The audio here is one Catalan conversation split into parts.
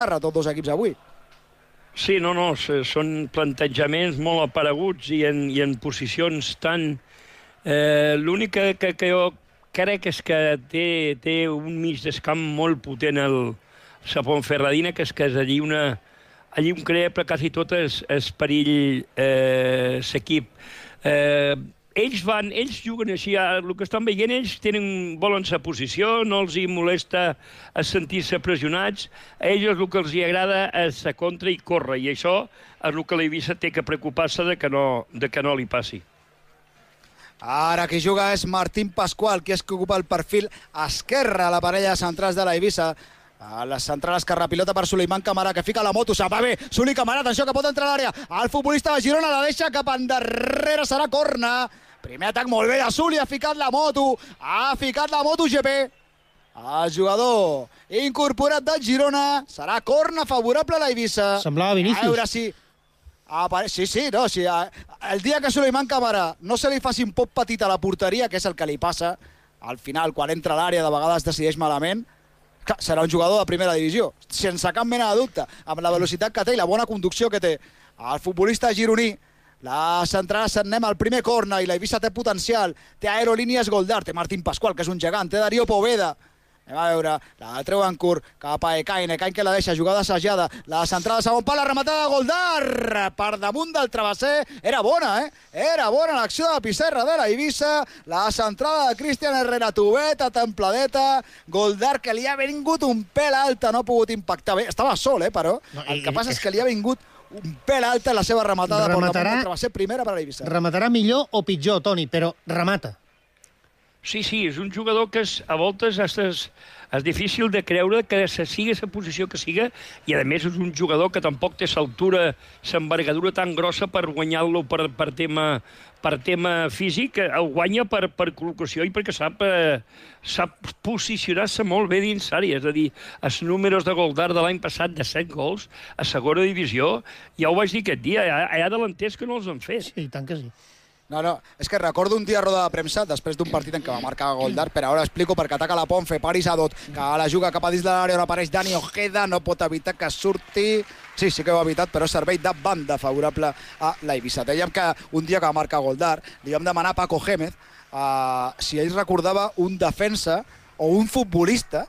tots dos equips avui. Sí, no, són plantejaments molt apareguts i en posicions tan... L'únic que jo crec és que té un mig d'escamp molt potent el Ponferradina, que és allí allí un creble quasi tot és perill s'equip. Ells juguen així, el que estan veient, ells volen sa posició, no els hi molesta sentir-se pressionats, a ells el que els hi agrada és la contra i córrer, i això és el que l'Eivissa té que preocupar-se de que no li passi. Ara qui juga és Martín Pascual, que és que ocupa el perfil esquerre a la parella de centrals de l'Eivissa. A la central esquerra, pilota per Suleiman Camara, que fica la moto, se'n va bé, Suli Camara, atenció, que pot entrar a l'àrea, el futbolista de Girona la deixa cap endarrere, serà corna. Primer atac molt bé de Suli, ha ficat la moto GP. El jugador incorporat de Girona, serà corna favorable a l'Eivissa. Semblava Vinícius. A veure si... Sí, el dia que Suleiman Camara no se li faci un poc petit a la porteria, que és el que li passa, al final, quan entra a l'àrea, de vegades decideix malament, serà un jugador de primera divisió, sense cap mena de dubte, amb la velocitat que té i la bona conducció que té. El futbolista gironí, la centrada s'anem al primer corna i l'Eivissa té potencial, té aerolínies Goldar, té Martín Pascual, que és un gegant, té Darío Poveda. Anem a veure, la treu en curt cap a Ekain que la deixa, jugada assajada, la centrada de segon pal, la rematada de Goldar per damunt del travesser, era bona, era bona l'acció de Pissarra de l'Eivissa, la centrada de Cristian Herrera, tubeta, templadeta, Goldar que li ha vingut un pèl alta, no ha pogut impactar bé, estava sol, però el que passa és que li ha vingut un pèl alta la seva rematada per damunt del travesser, primera per a l'Eivissa. Rematarà millor o pitjor, Toni, però remata. Sí, és un jugador que a voltes és difícil de creure que sigui la posició que siga, i a més és un jugador que tampoc té l'altura, l'envergadura tan grossa per guanyar-lo per tema físic, el guanya per col·locació i perquè sap posicionar-se molt bé dins l'àrea. És a dir, els números de Goldar de l'any passat de 7 gols a segona divisió, ja ho vaig dir aquest dia, hi ha delanters que no els han fet. Sí, tant que sí. No, és que recordo un dia a roda de premsa, després d'un partit en què va marcar Goldar, però ara explico perquè ataca la Ponfe, Paris Adot, que la juga cap a dins de l'àrea on apareix Dani Ojeda, no pot evitar que surti... Sí que ho ha evitat, però servei de banda favorable a l'Eivissa. Dèiem que un dia que va marcar Goldar, li vam demanar a Paco Gémez si ell recordava un defensa o un futbolista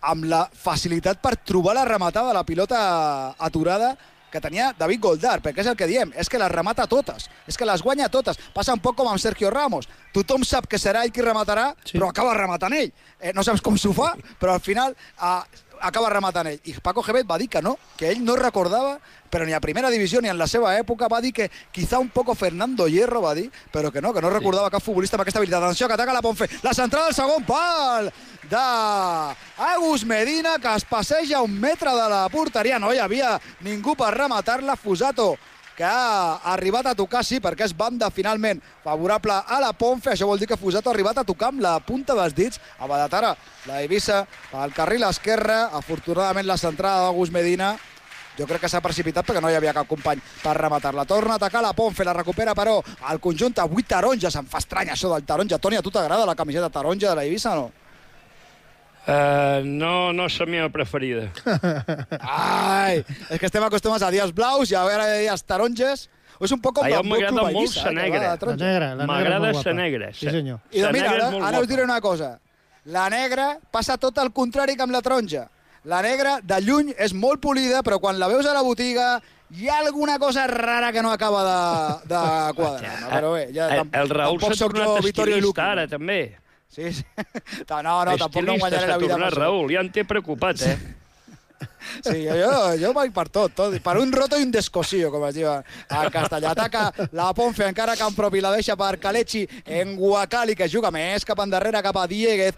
amb la facilitat per trobar la rematada de la pilota aturada que tenia David Goldar, perquè és el que diem, és que les remata totes, és que les guanya totes. Passa un poc com amb Sergio Ramos. Tothom sap que serà ell qui rematarà, sí, però acaba rematant ell. No saps com s'ho fa, però al final acaba rematant ell. I Paco Gémez va dir que no, que ell no recordava, però ni a primera divisió ni en la seva època, va dir que quizá un poco Fernando Hierro, va dir, però que no recordava cap futbolista amb aquesta habilitat. Atenció, que ataca la Ponfe, la centrada del segon pal d'Agus Medina, que es passeja un metre de la porteria, no hi havia ningú per rematar-la. Fusato, que ha arribat a tocar, sí, perquè és banda finalment favorable a la Ponfe. Això vol dir que Fusato ha arribat a tocar amb la punta dels dits a Badatara. L'Eivissa pel carril esquerre, afortunadament la centrada d'Agus Medina, jo crec que s'ha precipitat perquè no hi havia cap company per rematar-la. Torna a atacar la Ponfe, la recupera però el conjunt avui taronja. Se'm fa estrany això del taronja. Toni, a tu t'agrada la camiseta taronja de l'Eivissa o no? No és la meva preferida. Ai, és que estem acostumats a dies blaus i a veure dies taronges. És un poc com a mi m'agrada molt la negra. M'agrada la negra. Sí, senyor. I doncs mira, ara us diré una cosa. La negra passa tot el contrari que amb la taronja. La negra, de lluny, és molt polida, però quan la veus a la botiga hi ha alguna cosa rara que no acaba de quadrar. Però bé, ja el Raül s'ha tornat estilista ara, també. Sí. No, tampoc no guanyaré la vida. Estilista s'ha tornat, Raül, ja en té preocupat, Sí, jo vaig per tot. Per un roto i un descosillo, com es diu en castellà. Ataca la Ponfe, encara camp propi, la deixa per Kalechi en Guacali, que juga més cap endarrere, cap a Dieguez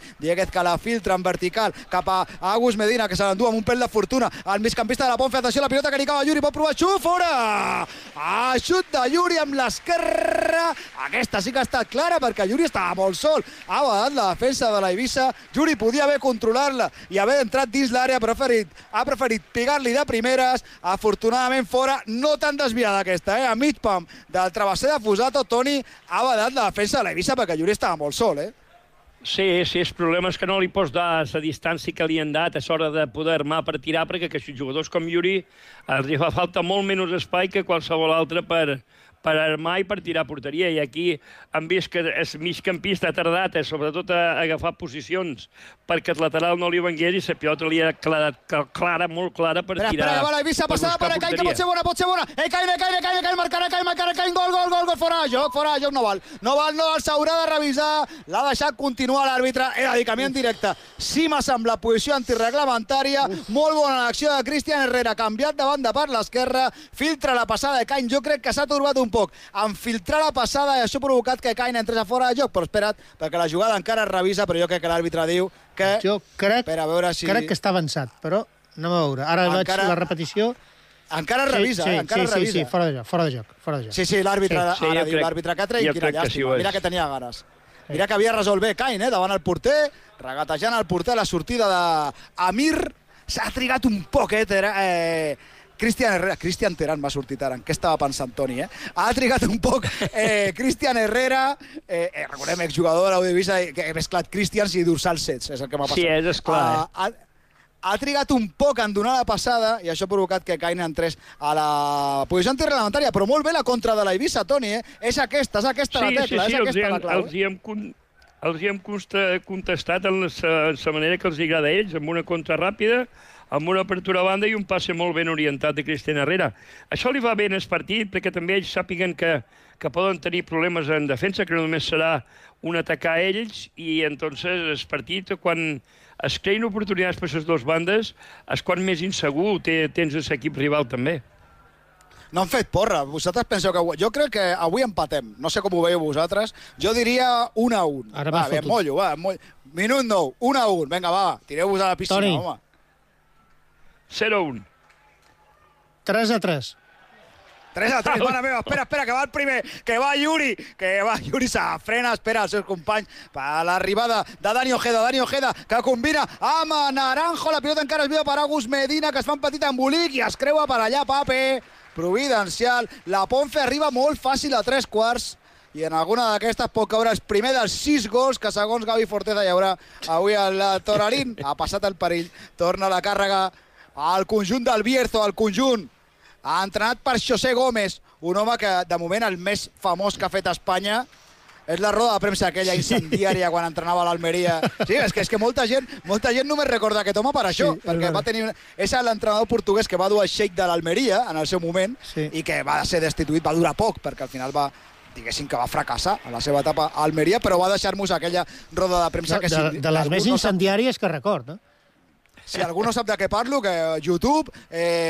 que la filtra en vertical, cap a Agus Medina, que se l'endú amb un pèl de fortuna. El migcampista de la Ponfe, atenció, la pilota que li cava Yuri, pot provar, xut, fora! Xut de Yuri amb l'esquerra. Aquesta sí que ha estat clara, perquè Yuri estava molt sol. Ha badat la defensa de l'Eivissa. Yuri podia haver controlat-la i haver entrat dins l'àrea, però ha preferit pegar-li de primeres, afortunadament fora, no tan desviada aquesta, a mig pam del travesser de Fusato. Toni, ha badat la defensa de l'Eivissa perquè Yuri estava molt sol, Sí, el problema és que no li pots dar la distància que li han dat a l'hora de poder armar per tirar, perquè que jugadors com Yuri els fa falta molt menys espai que qualsevol altre per armar i per tirar a porteria. I aquí hem vist que el migcampista ha tardat, sobretot a agafar posicions perquè el lateral no li vengués i la pilota li ha quedat clara, molt clara per tirar. Espera, que va la Eivissa passada per Cain, que pot ser bona. Cain, marcarà, Cain, gol, fora de joc, no val, s'haurà de revisar, l'ha deixat continuar l'àrbitre, era dir, camí en directe. Sí m'ha semblat posició antireglamentària, molt bona l'acció de Cristian Herrera, canviat de banda per l'esquerra, filtra la passada de Cain, jo crec que s'ha torbat un poc en filtrar la passada i això ha provocat que Cain entrés a fora de joc, però espera't, perquè la jugada encara es revisa, però jo crec que l'àrbitre diu que... Jo crec, per a veure si... crec que està avançat, però anem a veure. Ara veig la repetició. Encara es revisa, encara es revisa. Sí, fora de joc. Sí, l'àrbitre ara diu, l'àrbitre que ha tret, quina llàstima. Mira que tenia ganes. Mira que havia resolt bé Cain, davant el porter, regatejant el porter, la sortida d'Amir. S'ha trigat un poc, Cristian Terán m'ha sortit ara. En què estava pensant Toni, Ha trigat un poc Cristian Herrera, recordem, exjugador de l'Audivisa, que he mesclat Cristians i dorsal 16, és el que m'ha passat. Sí, és clar. Ha trigat un poc en donar la passada i això ha provocat que Cain entrés a la posició antireglamentària, però molt bé la contra de l'Eivissa, Toni, És aquesta la tecla, és aquesta la clau. Els hi hem contestat en la manera que els agrada a ells, amb una contra ràpida, amb una apertura a banda i un passe molt ben orientat de Cristian Herrera. Això li va bé en el partit, perquè també ells sàpiguen que poden tenir problemes en defensa, que no només serà un atacar a ells, i entonces el partit, quan es creïn oportunitats per les dues bandes, és quan més insegur tens l'equip rival també. No han fet porra. Vosaltres penseu que... Jo crec que avui empatem. No sé com ho veieu vosaltres. Jo diria 1-1. Va, bé, mollo, va. Minut 9, 1-1. Vinga, va, tireu-vos a la piscina, Toni. home. 0-1. 3-3. 3-3, mare meva, espera, que va el primer, que va Yuri, se frena, espera els seus companys, per l'arribada de Dani Ojeda, que combina amb Naranjo, la pilota encara es viu per Agus Medina, que es fa un petit embolic i es creua per allà, Pape, providencial, la Ponfe arriba molt fàcil a 3/4, i en alguna d'aquestes pot caure el primer dels 6 gols que segons Gavi Forteza hi haurà avui al Torarín. Ha passat el perill, torna la càrrega al conjunt del Bierzo, al conjunt entrenat per José Gómez, un home que de moment el més famós que ha fet a Espanya és la roda de premsa aquella incendiària quan entrenava a l'Almeria. Sí, és que molta gent només recorda aquest home per això, perquè va tenir... És l'entrenador portuguès que va dur el Sheikh de l'Almeria en el seu moment i que va ser destituït, va durar poc, perquè al final diguéssim que va fracassar a la seva etapa a Almeria, però va deixar-nos aquella roda de premsa que... De les més incendiàries que record, Si algú no sap de què parlo, que YouTube,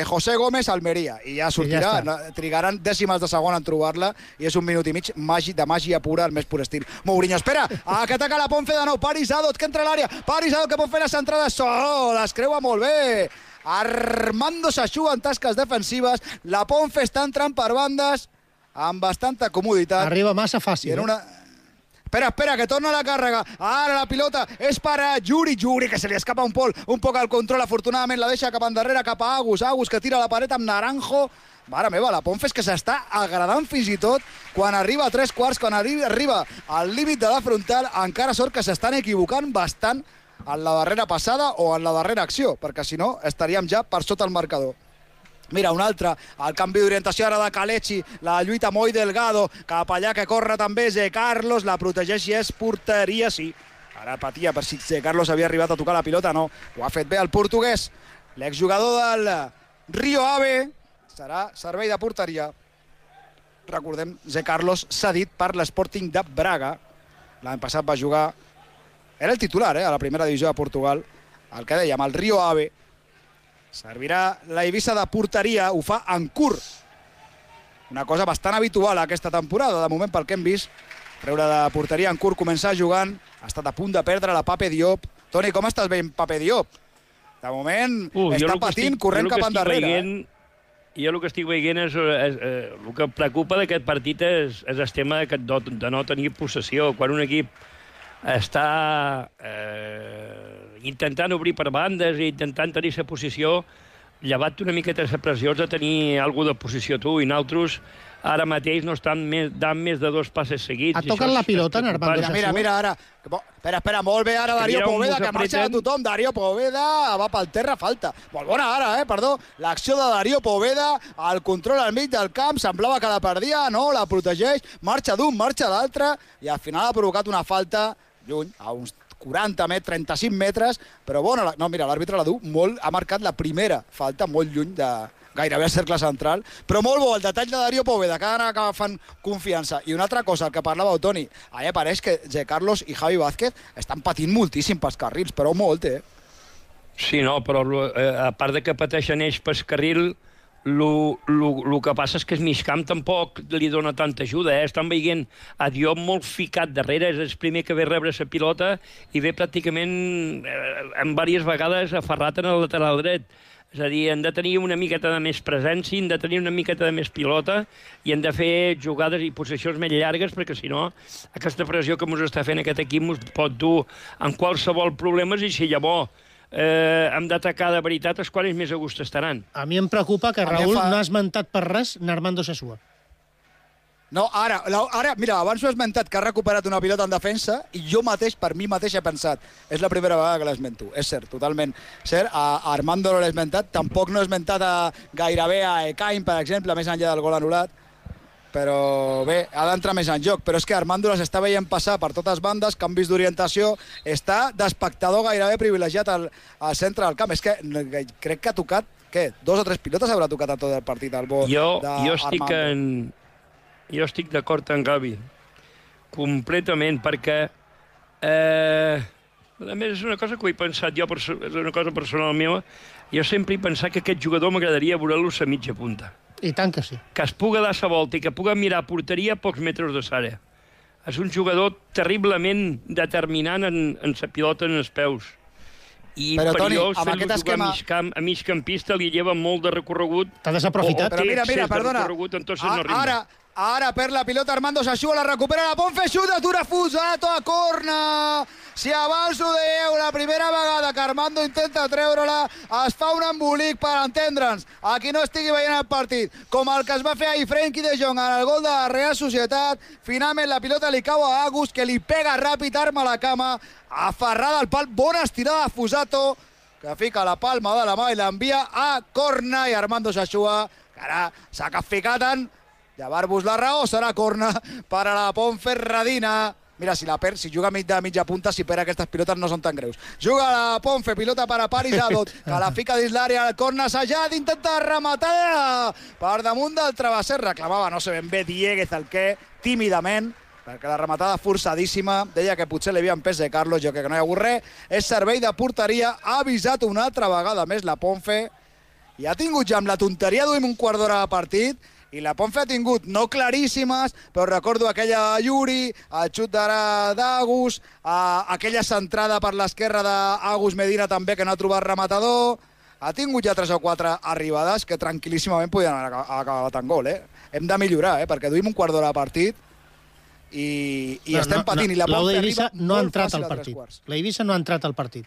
José Gómez, Almeria, i ja sortirà, trigaran dècimes de segon en trobar-la, i és un minut i mig de màgia pura, el més pur estil. Mourinho, espera, que ataca la Ponfe de nou, Paris Adot, que entra a l'àrea, Paris Adot que pot fer les entrades, les creua molt bé, Armando s'aixuga en tasques defensives, la Ponfe està entrant per bandes amb bastanta comoditat. Arriba massa fàcil, Espera, que torna la càrrega. Ara la pilota és per a Yuri, que se li escapa un poc al control. Afortunadament la deixa cap endarrere, cap a Agus que tira la paret amb Naranjo. Mare meva, la Ponfe és que s'està agradant fins i tot quan arriba a 3/4, quan arriba al límit de la frontal, encara sort que s'estan equivocant bastant en la darrera passada o en la darrera acció, perquè si no estaríem ja per sota el marcador. Mira, un altre, el canvi d'orientació ara de Kalechi, la lluita molt Delgado, cap allà que corre també Zé Carlos, la protegeix i és porteria, sí. Ara patia per si Zé Carlos havia arribat a tocar la pilota, no. Ho ha fet bé el portuguès, l'exjugador del Rio Ave, serà servei de porteria. Recordem, Zé Carlos cedit per l'Sporting de Braga. L'any passat va jugar, era el titular, a la primera divisió de Portugal, el que dèiem, el Rio Ave. Servirà la Eivissa de porteria, ho fa en curt. Una cosa bastant habitual aquesta temporada, de moment pel que hem vist. Treure de porteria en curt, començar jugant. Ha estat a punt de perdre la Pape Diop. Toni, com estàs veient Pape Diop? De moment està patint, corrent cap endarrere. Jo el que estic veient és el que em preocupa d'aquest partit és el tema de no tenir possessió. Quan un equip està intentant obrir per bandes i intentant tenir la posició, llevat una miqueta de pressió de tenir alguna de posició tu, i nosaltres ara mateix no estan dant més de 2 passes seguits. Ha tocat la pilota en Armando Sassuolo? Mira, ara. Espera, molt bé ara Darío Poveda, que marxa de tothom. Darío Poveda va pel terra, falta. Molt bona ara, perdó. L'acció de Darío Poveda, el control al mig del camp, semblava que la perdia, no, la protegeix, marxa d'un, marxa d'altre, i al final ha provocat una falta lluny, a uns 40 metres, 35 metres, però bona, no, mira, l'àrbitre la du molt, ha marcat la primera falta molt lluny de gairebé al cercle central, però molt bo el detall de Darío Poveda, que ara agafen confiança. I una altra cosa, el que parlava Toni, a mi pareix que Zé Carlos i Javi Vázquez estan patint moltíssim pels carrils, però molt, Sí, no, però a part de que pateixen ells pel carril, el que passa és que el migcamp tampoc li dona tanta ajuda, Estan veient a Diop molt ficat darrere, és el primer que ve rebre la pilota i ve pràcticament en diverses vegades aferrat en el lateral dret. És a dir, han de tenir una miqueta de més presència, han de tenir una miqueta de més pilota i han de fer jugades i possessions més llargues, perquè si no, aquesta pressió que ens està fent aquest equip ens pot dur en qualsevol problema, i si llavors hem d'atacar de veritat, els quals més a gust estaran. A mi em preocupa que Raül no ha esmentat per res Armando Sassuolo. No, ara, mira, abans ho he esmentat que ha recuperat una pilota en defensa i jo mateix, per mi mateix, he pensat és la primera vegada que l'esmento. És cert, totalment cert. A Armando no l'he esmentat, tampoc no he esmentat gairebé a Ekain, per exemple, més enllà del gol anul·lat. Però bé, ha d'entrar més en joc. Però és que Armando les està veient passar per totes bandes, canvis d'orientació, està d'espectador gairebé privilegiat al centre del camp. És que crec que ha tocat, què, 2 o 3 pilotes haurà tocat a tot el partit, el bo d'Armando. Jo estic d'acord amb Gavi, completament, perquè a més és una cosa que ho he pensat jo, és una cosa personal meva, jo sempre he pensat que aquest jugador m'agradaria veure-lo a mitja punta. I tant que sí. Que es puga dar la volta i que puga mirar a porteria a pocs metres de l'àrea. És un jugador terriblement determinant en la pilota en els peus. I però, per Toni, jo fer-lo jugar a migcampista li lleva molt de recorregut. T'ha desaprofitat. Però mira, perdona. Ara per la pilota Armando Sassuolo, la recupera la Ponfe, xuta, atura Fusato a corna. Si abans ho dèieu, la primera vegada que Armando intenta treure-la, es fa un embolic per entendre'ns. A qui no estigui veient el partit, com el que es va fer ahir Frenkie de Jong en el gol de la Real Societat. Finalment la pilota li cau a Agus, que li pega ràpid, arma la cama, aferrada al pal, bona estirada de Fusato, que fica la palma de la mà i l'envia a corna, i Armando Sassuolo, que ara s'ha capficat en llevar-vos la raó, serà corna per a la Ponferradina. Mira, si juga de mitja punta, si perd aquestes pilotes no són tan greus. Juga la Ponfe, pilota per a Paris Adot, que la fica dins l'àrea, el corna assajat, intenta rematar per damunt del travesser, reclamava, no sé ben bé, Dieguez el què, tímidament, perquè la rematada forçadíssima, deia que potser li havia empès de Carlos, jo crec que no hi ha hagut res, és servei de porteria, ha avisat una altra vegada més la Ponfe, i ha tingut ja amb la tonteria d'uim un quart d'hora de partit, i la Ponfe ha tingut no claríssimes, però recordo aquella Yuri, el xut d'Agus, aquella centrada per l'esquerra d'Agus Medina també, que no ha trobat rematador. Ha tingut ja 3 o 4 arribades que tranquil·líssimament podien haver acabat en gol. Hem de millorar, perquè duim un quart d'hora de partit i estem patint. I la Ponfe arriba molt fàcil a 3 quarts. La Eivissa no ha entrat al partit.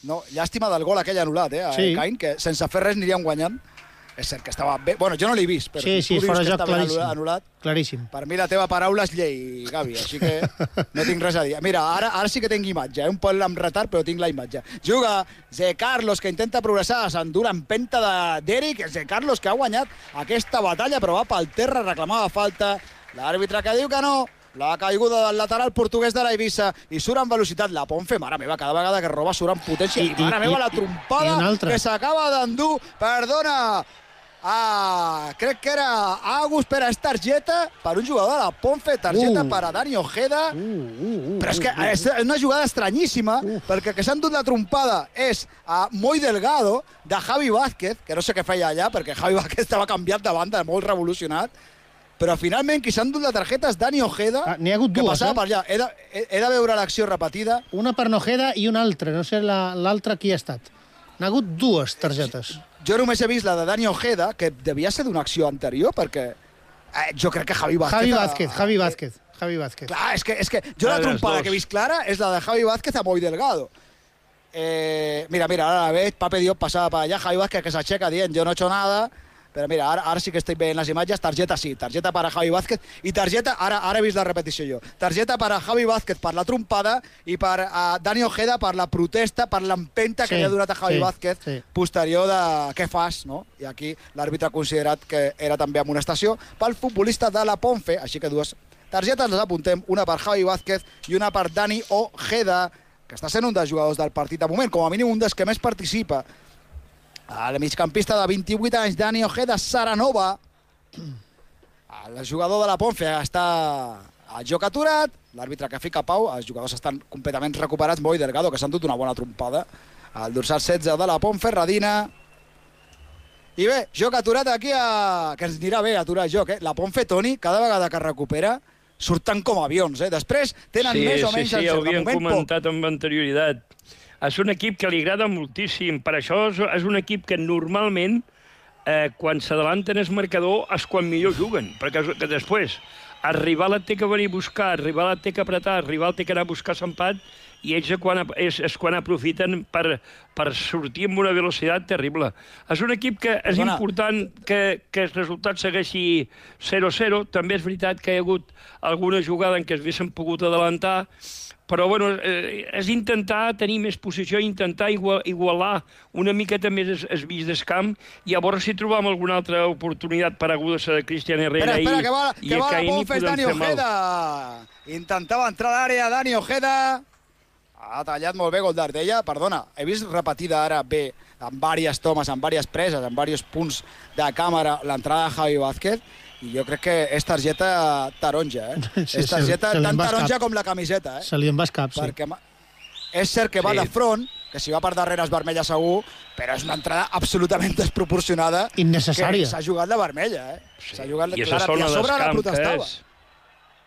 No, llàstima del gol aquell anul·lat, a Ekain, que sense fer res anirien guanyant. És cert que estava bé. Bueno, jo no l'he vist, però sí, si tu dius que estava anul·lat, claríssim. Per mi la teva paraula és llei, Gavi, així que no tinc res a dir. Mira, ara sí que tinc imatge, un poc amb retard, però tinc la imatge. Juga Zé Carlos, que intenta progressar, s'endura empenta d'Eric, Zé Carlos, que ha guanyat aquesta batalla, però va pel terra, reclamava falta. L'àrbitre que diu que no. La caiguda del lateral portuguès de la Eivissa i surt amb velocitat la Ponfe, mare meva, cada vegada que roba surt amb potència i mare meva, la trompada que s'acaba d'endur, perdona, crec que era Agus, per és targeta per un jugador de la Ponfe, targeta per a Dani Ojeda, però és que és una jugada estranyíssima, perquè que s'ha endut la trompada és a Moi Delgado, de Javi Vázquez, que no sé què feia allà, perquè Javi Vázquez estava canviat de banda, molt revolucionat, però finalment qui s'ha endut la targeta és Dani Ojeda, n'hi ha hagut que dues, passava per allà. He de veure l'acció repetida. Una per Ojeda i una altra, no sé l'altra qui ha estat. N'ha hagut 2 targetes. Jo només he vist la de Dani Ojeda, que devia ser d'una acció anterior, perquè jo crec que Javi Vázquez. Javi Vázquez. Clar, és que jo la trompada que he vist clara és la de Javi Vázquez a Moi Delgado. Mira, ahora la ves, Pape Diop pasaba para allá, Javi Vázquez que se acheca dient, yo no he hecho nada, pero mira, ahora sí que estoy viendo las imágenes, tarjeta sí, tarjeta para Javi Vázquez, i targeta, ara he vist la repetició jo, targeta per a Javi Vázquez per la trompada i per a Dani Ojeda per la protesta, per l'empenta que li ha donat a Javi Vázquez posterior de què fas, no? I aquí l'àrbitre ha considerat que era també amonestació pel futbolista de la Ponfe, així que dues targetes les apuntem, una per Javi Vázquez i una per Dani Ojeda, que està sent un dels jugadors del partit de moment, com a mínim un dels que més participa. El migcampista de 28 anys, Dani Ojeda Saranova, el jugador de la Ponfe, està al joc aturat, l'àrbitre que fica pau, els jugadors estan completament recuperats, Boi Delgado, que s'han dut una bona trompada, el dorsal 16 de la Ponferradina. I bé, joc aturat aquí, que ens anirà bé aturar el joc, La Ponfe, Toni, cada vegada que recupera, surten com avions, Després tenen més o menys... Sí, ho havíem comentat amb anterioritat. És un equip que li agrada moltíssim. Per això és un equip que normalment, quan s'adalanten el marcador, és quan millor juguen. Perquè que després el rival et té que venir a buscar, el rival et té que apretar, el rival té que anar a buscar l'empat, i ells és quan aprofiten per sortir amb una velocitat terrible. És un equip que és important que el resultat segueixi 0-0. També és veritat que hi ha hagut alguna jugada en què s'haguessin pogut adelantar, però bueno, és intentar tenir més posició, intentar igualar una miqueta més el mig del camp, i a veure si trobam alguna altra oportunitat pareguda a Cristian Herrera i a Caini podem fer mal. Intentava entrar a l'àrea Dani Ojeda, ha tallat molt bé gol d'Ardella. Perdona, he vist repetida ara bé, amb diverses tomes, amb diverses preses, amb diversos punts de càmera, l'entrada de Javi Vázquez, i jo crec que és targeta taronja, és targeta tan taronja com la camiseta, Se li en va escap, sí. Perquè és cert que va de front, que si va per darrere és vermella segur, però és una entrada absolutament desproporcionada. Innecessària. S'ha jugat la vermella, S'ha jugat I a sobre la protestava.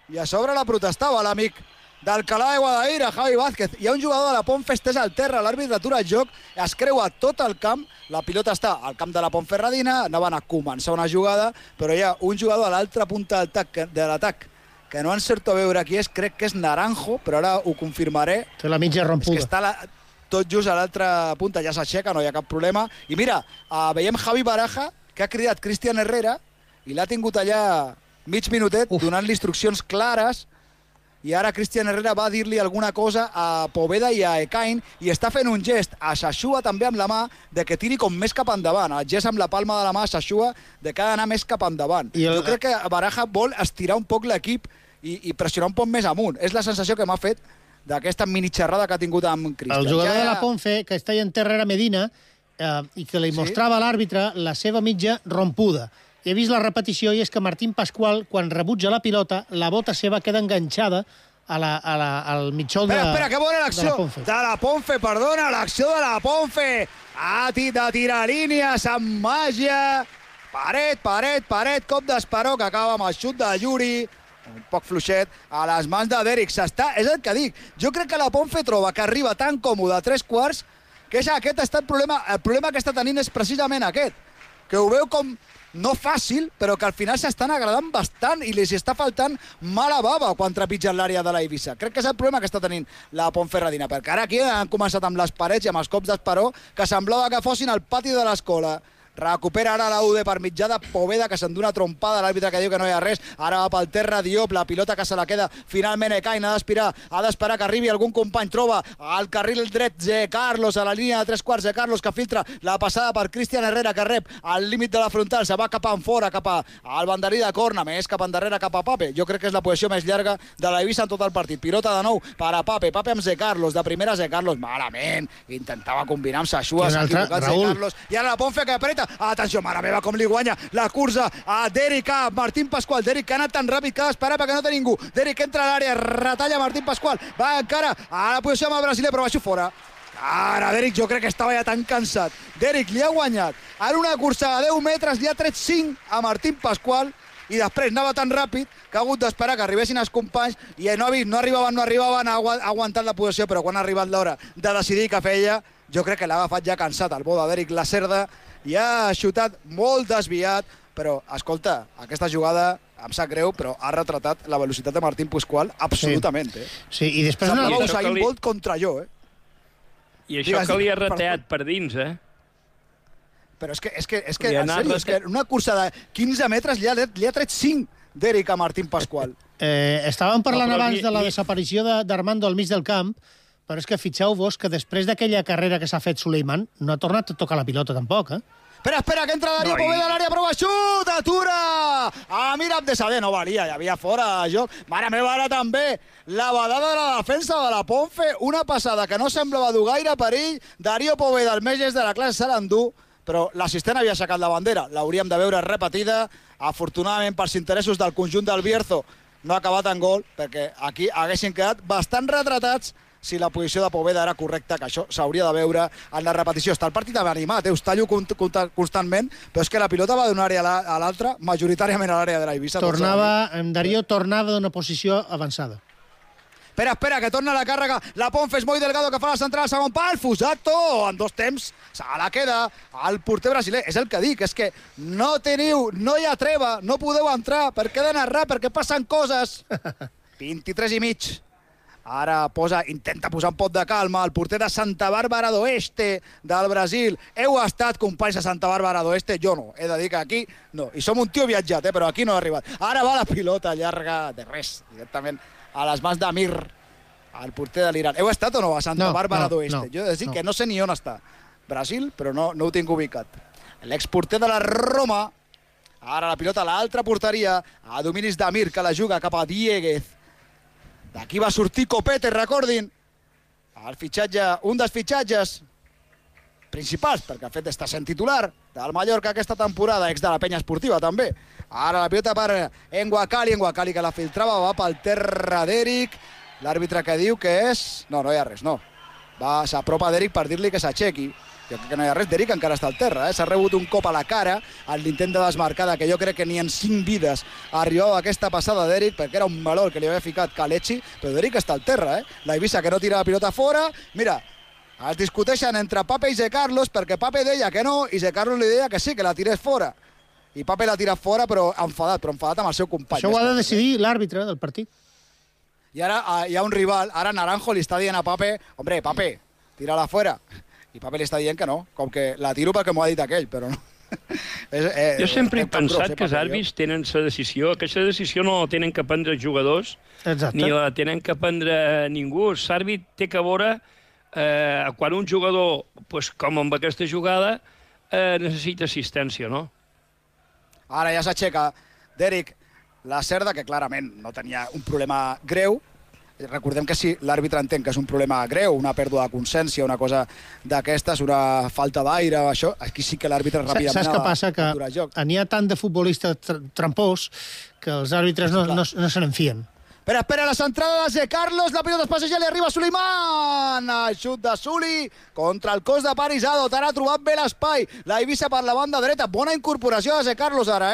I a sobre la protestava l'amic d'Alcalá de Guadaira, Javi Vázquez. Hi ha un jugador de la Ponfe estès al terra, l'àrbitre atura el joc, es creua tot el camp, la pilota està al camp de la Ponferradina, anaven a començar una jugada, però hi ha un jugador a l'altra punta de l'atac que no encerto a veure qui és, crec que és Naranjo, però ara ho confirmaré. Té la mitja rompuda. És que està tot just a l'altra punta, ja s'aixeca, no hi ha cap problema. I mira, veiem Javi Baraja, que ha cridat Cristian Herrera, i l'ha tingut allà mig minutet, donant-li instruccions clares, i ara Cristian Herrera va dir-li alguna cosa a Poveda i a Ekain, i està fent un gest a Sashua també amb la mà, de que tiri com més cap endavant. El gest amb la palma de la mà a Sashua, de que ha d'anar més cap endavant. Jo crec que Baraja vol estirar un poc l'equip i pressionar un poc més amunt. És la sensació que m'ha fet d'aquesta mini xerrada que ha tingut amb Cristian. El jugador de la Ponfe, que està en Herrera Medina, i que li mostrava a l'àrbitre la seva mitja rompuda. He vist la repetició i és que Martín Pascual, quan rebutja la pilota, la bota seva queda enganxada al mitjó de la Ponfe. Espera, que bona l'acció de la Ponfe, perdona, l'acció de la Ponfe. De tirar línies amb màgia. Paret, cop d'esperó, que acaba amb el xut de Yuri. Un poc fluixet a les mans de Deric. És el que dic. Jo crec que la Ponfe troba que arriba tan còmode a 3/4 que aquest ha estat el problema. El problema que està tenint és precisament aquest, que ho veu com no fàcil, però que al final s'estan agradant bastant i li està faltant mala bava quan trepitgen l'àrea de la Eivissa. Crec que és el problema que està tenint la Ponferradina, perquè ara aquí han començat amb les parets i amb els cops d'esperó que semblava que fossin al pati de l'escola. Recupera ara la UD per mitjà de Poveda, que s'endú una trompada, l'àrbitre que diu que no hi ha res. Ara va pel terra Diop, la pilota que se la queda finalment Ekain, ha d'esperar que arribi algun company. Troba al carril dret de Carlos, a la línia de 3/4 de Carlos, que filtra la passada per Cristian Herrera, que rep al límit de la frontal, se va cap enfora, cap al banderí de corna, més cap endarrere, cap a Pape. Jo crec que és la posició més llarga de la Eivissa en tot el partit. Pilota de nou per a Pape amb Zé Carlos, de primera Zé Carlos, malament, intentava combinar amb Sashua, s'ha equivocat Zé Carlos, i ara la Ponfe que apreta. Atenció, mare meva, com li guanya la cursa a Deric, a Martín Pascual. Deric que ha anat tan ràpid que ha d'esperar perquè no té ningú. Deric entra a l'àrea, retalla Martín Pascual, va encara a la posició amb el brasiler, però baixo fora. Ara Deric jo crec que estava ja tan cansat. Deric li ha guanyat en una cursa de 10 metres, li ha tret 5 a Martín Pascual, i després anava tan ràpid que ha hagut d'esperar que arribessin els companys i no arribaven, ha aguantat la posició, però quan ha arribat l'hora de decidir què feia, jo crec que l'ha agafat ja cansat el bo de Deric Lacerda i ha xutat molt desviat, però escolta, aquesta jugada em sap greu, però ha retratat la velocitat de Martín Pascual absolutament. Sí, i després semblava Usain Bolt contra jo, I això que li ha rateat per dins, eh? Però és que en sèrio, és que una cursa de 15 metres li ha tret 5 d'Eric a Martín Pascual. Estàvem parlant abans de la desaparició d'Armando al mig del camp, però és que fixeu-vos que després d'aquella carrera que s'ha fet Suleiman, no ha tornat a tocar la pilota tampoc, eh? Espera, que entra Darío Poveda a l'àrea, prova xut, atura! Amir Abdesadeh, no valia, hi havia fora de joc. Mare meva, ara també la badada de la defensa de la Ponfe, una passada que no semblava dur gaire perill. Darío Poveda, el més llest de la classe, se l'endú, però l'assistent havia aixecat la bandera. L'hauríem de veure repetida. Afortunadament, pels interessos del conjunt del Bierzo, no ha acabat en gol, perquè aquí haguessin quedat bastant retratats si la posició de Poveda era correcta, que això s'hauria de veure en la repetició. Està el partit animat, us tallo constantment, però és que la pilota va d'una àrea a l'altra, majoritàriament a l'àrea de l'Eivissa. Darío tornava d'una posició avançada. Espera, que torna la càrrega. La Ponfe és molt Delgado, que fa la central al segon pal. Fusato, en 2 temps, se la queda el porter brasiler. És el que dic, és que no hi ha treva, no podeu entrar, perquè he de narrar, perquè passen coses. 23 i mig. Ara intenta posar un pot de calma el porter de Santa Bàrbara d'Oeste del Brasil. Heu estat companys de Santa Bàrbara d'Oeste? Jo no. He de dir que aquí no. I som un tio viatjat, però aquí no ha arribat. Ara va la pilota llarga de res, directament a les mans d'Amir, el porter de l'Iran. Heu estat o no a Santa Bàrbara d'Oeste? Jo he de dir que no sé ni on està. Brasil, però no ho tinc ubicat. L'exporter de la Roma. Ara la pilota a l'altra porteria, a dominis d'Amir, que la juga cap a Dieguez. D'aquí va sortir Copete, recordin. El fitxatge, un dels fitxatges principals, perquè el fet d'estar sent titular del Mallorca aquesta temporada, ex de la penya esportiva també. Ara la pilota per Enguacali que la filtrava, va pel terra d'Eric. L'àrbitre que diu que és... No hi ha res, no. S'apropa d'Eric per dir-li que s'aixequi. Jo crec que no hi ha res, d'Eric encara està al terra, S'ha rebut un cop a la cara en l'intent de desmarcada, que jo crec que ni en 5 vides arribava aquesta passada d'Eric, perquè era un valor que li havia ficat Kalechi, però d'Eric està al terra, La Eivissa que no tira la pilota fora. Mira, es discuteixen entre Pape i Zé Carlos, perquè Pape deia que no, i Zé Carlos li deia que sí, que la tirés fora. I Pape la tira fora, però enfadat amb el seu company. Això ho ha de decidir l'àrbitre del partit. I ara hi ha un rival, ara Naranjo li està dient a Pape, hombre, Pape, tira-la fora. I Pape li està dient que no, com que la tiro perquè m'ho ha dit aquell, però no. Jo sempre he pensat que els àrbits tenen la decisió, que aquesta decisió no la tenen que prendre els jugadors, ni la tenen que prendre ningú. L'àrbit té que veure quan un jugador, com amb aquesta jugada, necessita assistència, no? Ara ja s'aixeca d'Eric la Cerda, que clarament no tenia un problema greu. Recordem que si l'àrbitre entén que és un problema greu, una pèrdua de consciència, una cosa d'aquestes, una falta d'aire, això, aquí sí que l'àrbitre ràpidament... Saps què passa? Que n'hi ha tant de futbolistes trampós que els àrbitres no se n'enfien. Espera, la centrada de Zé Carlos, la pilota es passeja, li arriba Suleiman. El xut de Suli contra el cos de Parisado. Ara ha trobat bé l'espai. La Eivissa per la banda dreta. Bona incorporació de Zé Carlos ara,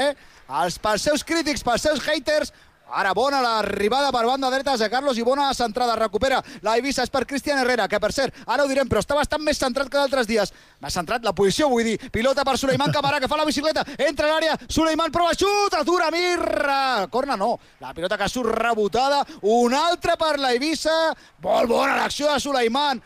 Pels seus crítics, pels seus haters. Ara bona l'arribada per banda dreta de Carlos i bona centrada. Recupera la Eivissa, és per Cristian Herrera, que per cert, ara ho direm, però està bastant més centrat que d'altres dies. Més centrat la posició, vull dir. Pilota per Suleiman Camarà, que fa la bicicleta. Entra a l'àrea, Suleiman prova xut, atura Mirra. Corna no, la pilota que surt rebotada. Una altra per la Eivissa. Molt bona l'acció de Suleiman.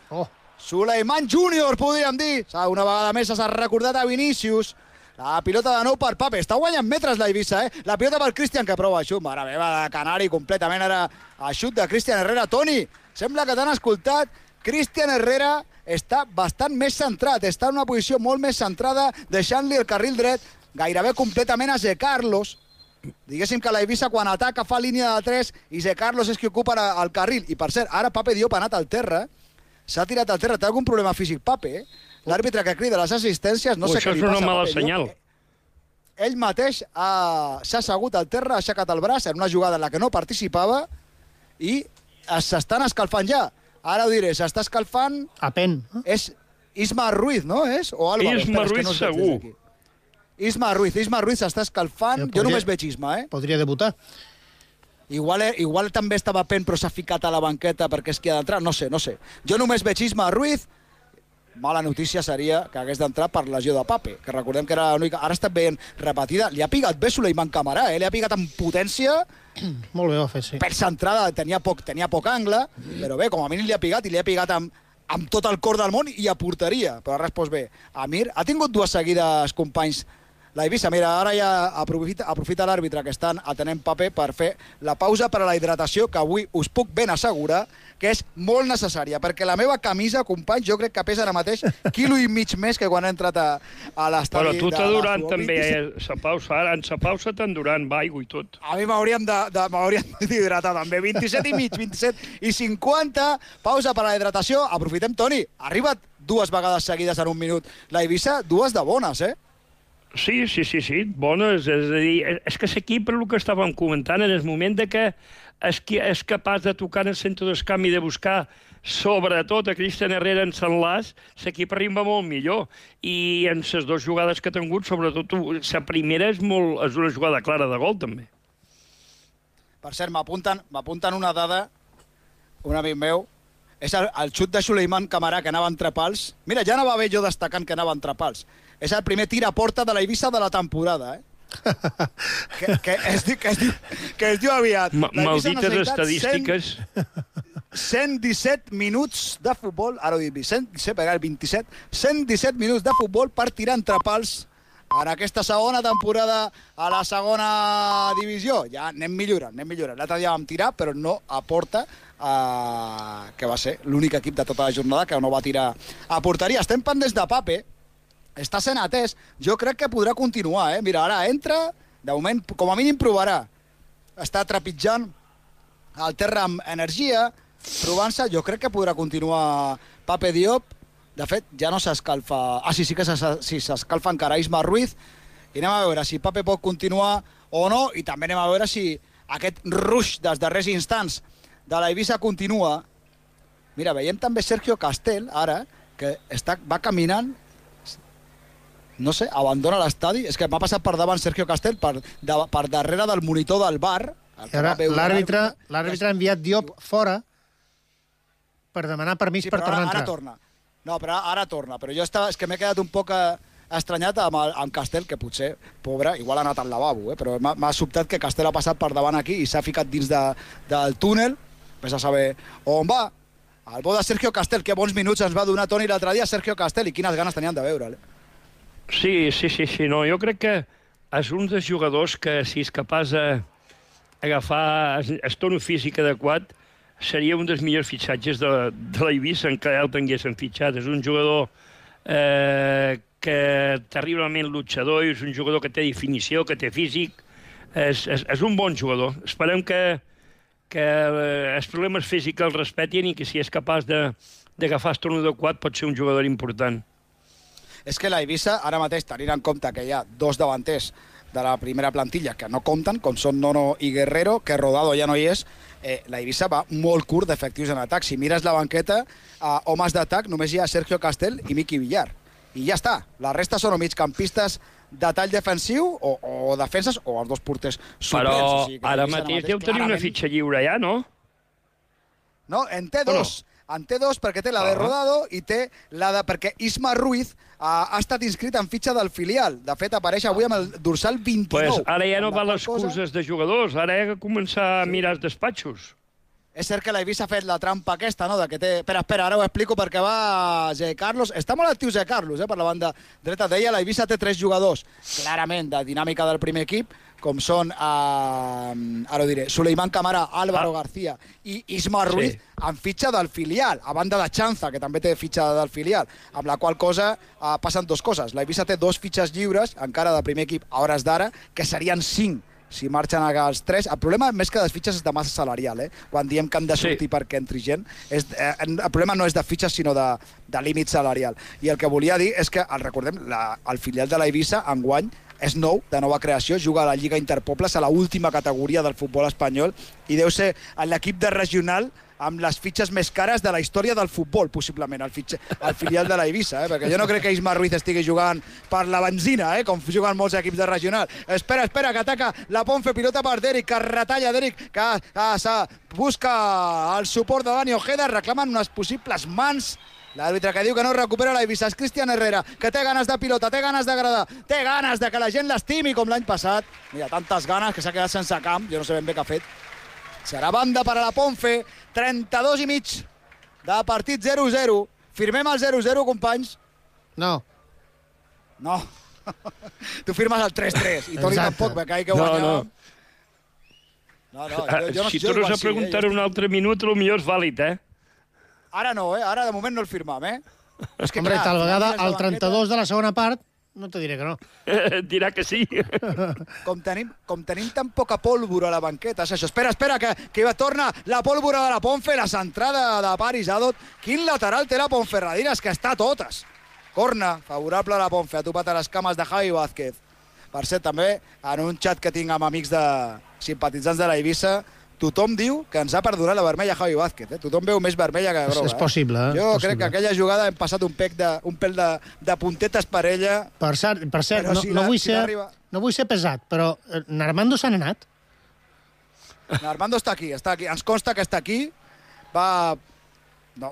Suleiman Júnior, podríem dir. Una vegada més s'ha recordat a Vinícius. La pilota de nou per Pape. Està guanyant metres la Eivissa, La pilota per Cristian, que prova xut. Mare meva, de Canari completament ara a xut de Cristian Herrera. Toni, sembla que t'han escoltat. Cristian Herrera està bastant més centrat. Està en una posició molt més centrada, deixant-li el carril dret gairebé completament a Zé Carlos. Diguéssim que la Eivissa quan ataca fa línia de 3 i Zé Carlos és qui ocupa el carril. I per cert, ara Pape Diop ha anat al terra. S'ha tirat al terra. Té algun problema físic, Pape, L'àrbitre que crida les assistències, no sé què li passa. Això és una mala senyal. Ell mateix s'ha assegut al terra, ha aixecat el braç en una jugada en la que no participava i s'estan escalfant ja. Ara ho diré, s'està escalfant... Apen. És Isma Ruiz, no? O Álvaro. Isma Ruiz, segur. Isma Ruiz s'està escalfant. Jo només veig Isma, Podria debutar. Igual també estava Pen, però s'ha ficat a la banqueta perquè és qui ha d'entrar. No sé. Jo només veig Isma Ruiz. Mala notícia seria que hagués d'entrar per lesió de Pape, que recordem que era l'única... Ara està veient repetida. Li ha pigat bé Suleiman Camarà, Li ha pigat amb potència. Molt bé ho ha fet, sí. Per centrada tenia poc angle, però bé, com a mínim li ha pigat, i li ha pigat amb amb tot el cor del món i a porteria, però ha respost bé. Amir ha tingut dues seguides, companys, la Eivissa. Mira, ara ja aprofita l'àrbitre que estan atenent paper per fer la pausa per a la hidratació, que avui us puc ben assegurar que és molt necessària, perquè la meva camisa, companys, jo crec que pesa ara mateix 1,5 quilo més que quan he entrat a l'estadi. Però tu t'endurant també, sa pausa, ara en sa pausa t'endurant, va, aigua i tot. A mi m'haurien d'hidratar també. 27 i mig, 27 i 50, pausa per a la hidratació. Aprofitem, Toni, ha arribat 2 vegades seguides en un minut. La Eivissa, 2 de bones, eh? Sí, bones. És a dir, és que l'equip, per el que estàvem comentant, en el moment de que és capaç de tocar en el centre d'escamp i de buscar, sobretot a Cristian Herrera en l'enlaç, l'equip arriba molt millor. I en les 2 jugades que ha tingut, sobretot la primera és una jugada clara de gol, també. Per cert, m'apunten una dada, un amic meu, és el xut de Suleiman Camarà, que anava entre pals. Mira, ja anava bé jo destacant que anava entre pals. És el primer tir a porta de la Eivissa de la temporada, eh? que es diu aviat. Maldites estadístiques. 117 minuts de futbol, ara ho dic, 117 minuts de futbol per tirar entre pals en aquesta segona temporada a la segona divisió. Ja anem millorant. L'altre dia vam tirar, però no a porta, que va ser l'únic equip de tota la jornada que no va tirar a porteria. Estem pendents de Pape, està sent atès, jo crec que podrà continuar, eh? Mira, ara entra, de moment, com a mínim provarà. Està trepitjant el terra amb energia, provant-se, jo crec que podrà continuar Pape Diop. De fet, ja no s'escalfa... sí que s'escalfa encara Isma Ruiz, i anem a veure si Pape pot continuar o no, i també anem a veure si aquest rush dels darrers instants de la Eivissa continua. Mira, veiem també Sergio Castel, ara, que va caminant, no sé, abandona l'estadi. És que m'ha passat per davant Sergio Castel, per darrere del monitor del bar. L'àrbitre ha enviat Diop fora per demanar permís per tornar a entrar. Ara torna. No, però ara torna. Però jo és que m'he quedat un poc estranyat amb Castel, que potser, pobre, igual ha anat al lavabo, però m'ha sobtat que Castel ha passat per davant aquí i s'ha ficat dins del túnel. Ves a saber on va. El bo de Sergio Castel, que bons minuts ens va donar Toni l'altre dia, Sergio Castel, i quines ganes tenien de veure'l. Sí, no, jo crec que és un dels jugadors que, si és capaç d'agafar el tono físic adequat, seria un dels millors fitxatges de la Eivissa en què el tinguessin fitxat. És un jugador que terriblement luchador, és un jugador que té definició, que té físic, és un bon jugador. Esperem que els problemes físics el respetin i que si és capaç d'agafar el tono adequat pot ser un jugador important. És que la Eivissa, ara mateix, tenint en compte que hi ha 2 davanters de la primera plantilla que no compten, com són Nono i Guerrero, que Rodado ja no hi és, la Eivissa va molt curt d'efectius en atac. Si mires la banqueta, homes d'atac, només hi ha Sergio Castel i Miqui Villar. I ja està. La resta són o migcampistes de tall defensiu o defenses o els 2 porters suplents. Però o sigui, ara mateix deu tenir una fitxa lliure ja, no? No, en té 2. En té 2 perquè té la de Rodado i té la de... perquè Isma Ruiz ha estat inscrit en fitxa del filial. De fet, apareix avui amb el dorsal 29. Pues ara ja no val les excuses de jugadors, ara hi ha que començar a mirar els despatxos. És cert que la Eivissa ha fet la trampa aquesta, no?, de que té... Espera, ara ho explico perquè va Zé Carlos. Està molt actiu Zé Carlos, per la banda dreta. Deia, la Eivissa té 3 jugadors, clarament, de dinàmica del primer equip, com són, ara ho diré, Suleiman Camarà, Álvaro García i Isma Ruiz, amb fitxa del filial, a banda de Chanza, que també té fitxa del filial, amb la qual cosa passen 2 coses. La Eivissa té 2 fitxes lliures, encara del primer equip, a hores d'ara, que serien 5 si marxen els 3. El problema, més que de fitxes, és de massa salarial, quan diem que han de sortir perquè entri gent. El problema no és de fitxes, sinó de límit salarial. I el que volia dir és que, recordem, el filial de la Eivissa, enguany, és nou, de nova creació, juga a la Lliga Interpobles, a l'última categoria del futbol espanyol, i deu ser l'equip de regional amb les fitxes més cares de la història del futbol, possiblement, el filial de la Eivissa, perquè jo no crec que Isma Ruiz estigui jugant per la benzina, com juguen molts equips de regional. Espera, que ataca la Ponfe, pilota per Deric, que retalla Deric, que busca el suport de Dani Ojeda, reclamen unes possibles mans. L'àrbitre que diu que no recupera la Eivissa és Cristian Herrera, que té ganes de pilota, té ganes d'agradar, té ganes de que la gent l'estimi com l'any passat. Mira, tantes ganes que s'ha quedat sense camp, jo no sé ben bé què ha fet. Serà banda per a la Ponfe, 32 i mig de partit 0-0. Firmem el 0-0, companys? No. No. Tu firmes el 3-3 i Toni tampoc, Becai, que guanyàvem. Si tornes a preguntar un altre minut, potser és vàlid, Ara no, Ara de moment no el firmam, És que, Hombre, tal vegada al 32 de la segona part no te diré que no. Dirà que sí. Com tenim tan poca pólvora a la banqueta, és això. Espera, que torna la pólvora de la Ponfe, la centrada de Paris Adot. Quin lateral té la Ponferradina, és que està a totes. Corna, favorable a la Ponfe, ha topat a les cames de Javi Vázquez. Per cert, també, en un xat que tinc amb amics de simpatitzants de la Eivissa, tothom diu que ens ha perdonat la vermella Javi Vázquez. Tothom veu més vermella que groga. És possible, Jo crec que aquella jugada hem passat un pèl de puntetes per ella. Per cert, no vull ser pesat, però Narmando se n'ha anat. Narmando està aquí. Ens consta que està aquí. Va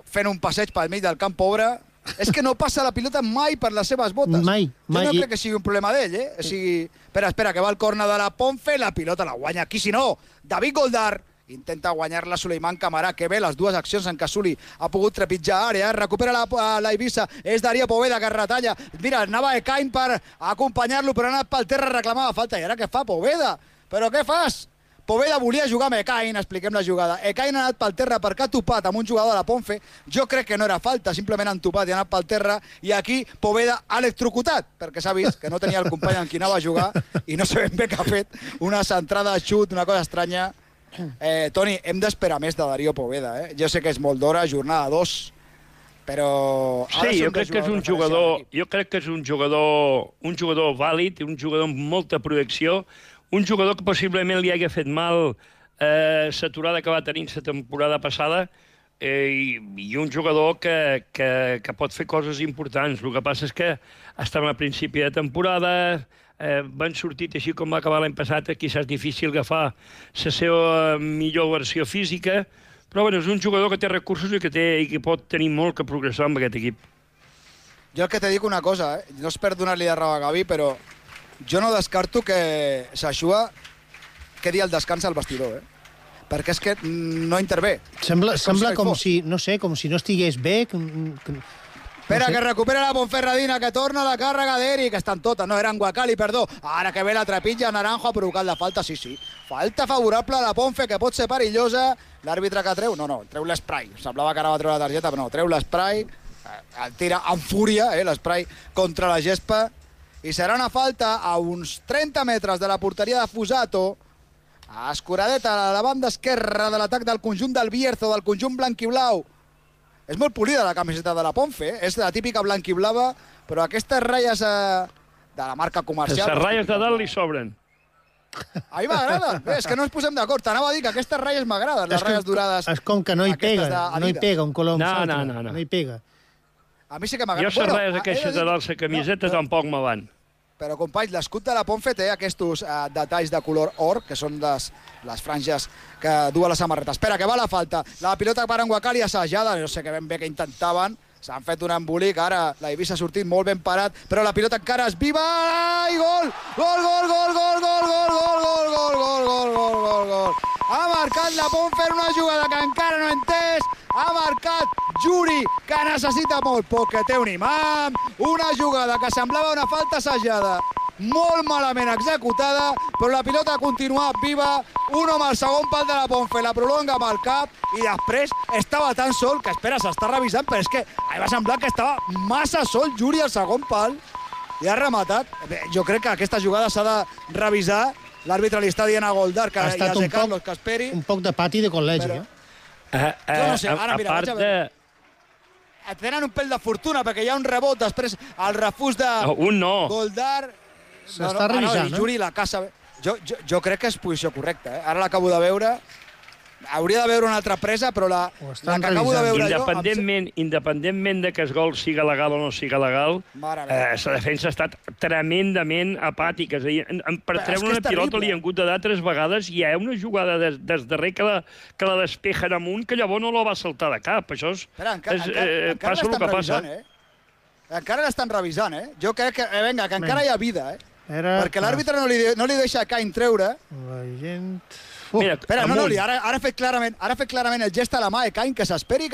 fent un passeig pel mig del camp pobre. És que no passa la pilota mai per les seves botes. Mai. Jo no crec que sigui un problema d'ell, Espera, que va el corna de la Ponfe, la pilota la guanya aquí, si no, David Goldar intenta guanyar-la Suleiman Camarà, que bé, les dues accions en què Suli ha pogut trepitjar àrea, recupera la Eivissa, és Darío Poveda que retalla, mira, anava Ekain per acompanyar-lo, però ha anat pel terra, reclamava falta, i ara què fa Poveda? Però què fas? Poveda volia jugar amb Ekain, expliquem la jugada. Ekain ha anat pel terra perquè ha topat amb un jugador de la Ponfe. Jo crec que no era falta, simplement han topat i ha anat pel terra. I aquí Poveda ha electrocutat, perquè s'ha vist que no tenia el company amb qui anava a jugar i no sé ben bé què ha fet. Una centrada, xut, una cosa estranya. Toni, hem d'esperar més de Darío Poveda. Jo sé que és molt d'hora, jornada 2, però... Sí, jo crec que és un jugador vàlid, un jugador amb molta projecció, un jugador que possiblement li hagi fet mal l'aturada que va tenir la temporada passada i un jugador que pot fer coses importants. El que passa és que estem a principi de temporada, van sortit així com va acabar l'any passat, quizás és difícil agafar la seva millor versió física, però bueno, és un jugador que té recursos i que pot tenir molt que progressar amb aquest equip. Jo el que te dic una cosa, no és per donar-li de raó a Gavi, però jo no descarto que Saxua quedi al descans al vestidor, perquè és que no intervé. Sembla com si no estigués bé. Espera, que recupera la Ponferradina, que torna la càrrega d'Eric, que estan totes, no, eren Guacali, perdó. Ara que ve la trepitja, Naranjo ha provocat la falta, sí. Falta favorable a la Ponfe, que pot ser perillosa. L'àrbitre que treu, treu l'esprai. Semblava que ara va treure la targeta, però no, treu l'esprai. El tira amb fúria, l'esprai contra la gespa. I serà una falta a uns 30 metres de la porteria de Fusato. A escuradeta, a la banda esquerra de l'atac del conjunt del Bierzo, del conjunt blanquiblau. És molt polida la camiseta de la Ponfe, és la típica blanquiblava, però aquestes ratlles de la marca comercial... Les ratlles de dalt li sobren. A mi m'agrada. És que no ens posem d'acord. T'anava a dir que aquestes ratlles m'agraden, les ratlles durades. És com que no hi pega un color amb l'altre. No hi pega. A mi sí que m'agrada. Jo les ratlles aquestes de dalt la camiseta tampoc me van. Però, companys, l'escut de la Ponfe té aquests detalls de color or, que són les franges que duen la samarreta. Espera, que va la falta. La pilota per en Guacali assajada. No sé que ben bé que intentaven. S'han fet un embolic. Ara la Eivissa ha sortit molt ben parat, però la pilota encara és viva. I gol! Gol, gol, gol, gol, gol, gol, gol, gol, gol, gol, gol, gol, gol, gol. Ha marcat la Ponfe una jugada que encara no he entès. Ha marcat Juri, que necessita molt poc, que té un imam. Una jugada que semblava una falta assajada, molt malament executada, però la pilota ha continuat viva. Un home al segon pal de la Ponfe, la prolonga amb el cap i després estava tan sol que, espera, s'està revisant, però és que va semblar que estava massa sol Juri al segon pal i ha rematat. Jo crec que aquesta jugada s'ha de revisar. L'àrbitre li està dient a Goldar que hi ha de Carlos que esperi. Un poc de pati de col·legi, Jo no sé, ara mira, vaig a veure. Tenen un pèl de fortuna perquè hi ha un rebot, després el refús de Goldar. S'està revisant, no? Juri la caça. Jo crec que és posició correcta, Ara l'acabo de veure. Hauria de veure una altra presa, però la que acabo de veure independentment de que el gol siga legal o no siga legal, la defensa ha estat tremendament apàtica. És a dir, per treure una pilota li han hagut de dar 3 vegades i hi ha una jugada des darrer que la despejen amunt que llavors no la va saltar de cap. Això passa el que passa. Encara l'estan revisant, Jo crec que, que encara hi ha vida, perquè l'àrbitre no li deixa Ekain treure. La gent... Mira, espera, ara ha fet clarament el gest a la mà de Ekain, que s'esperi,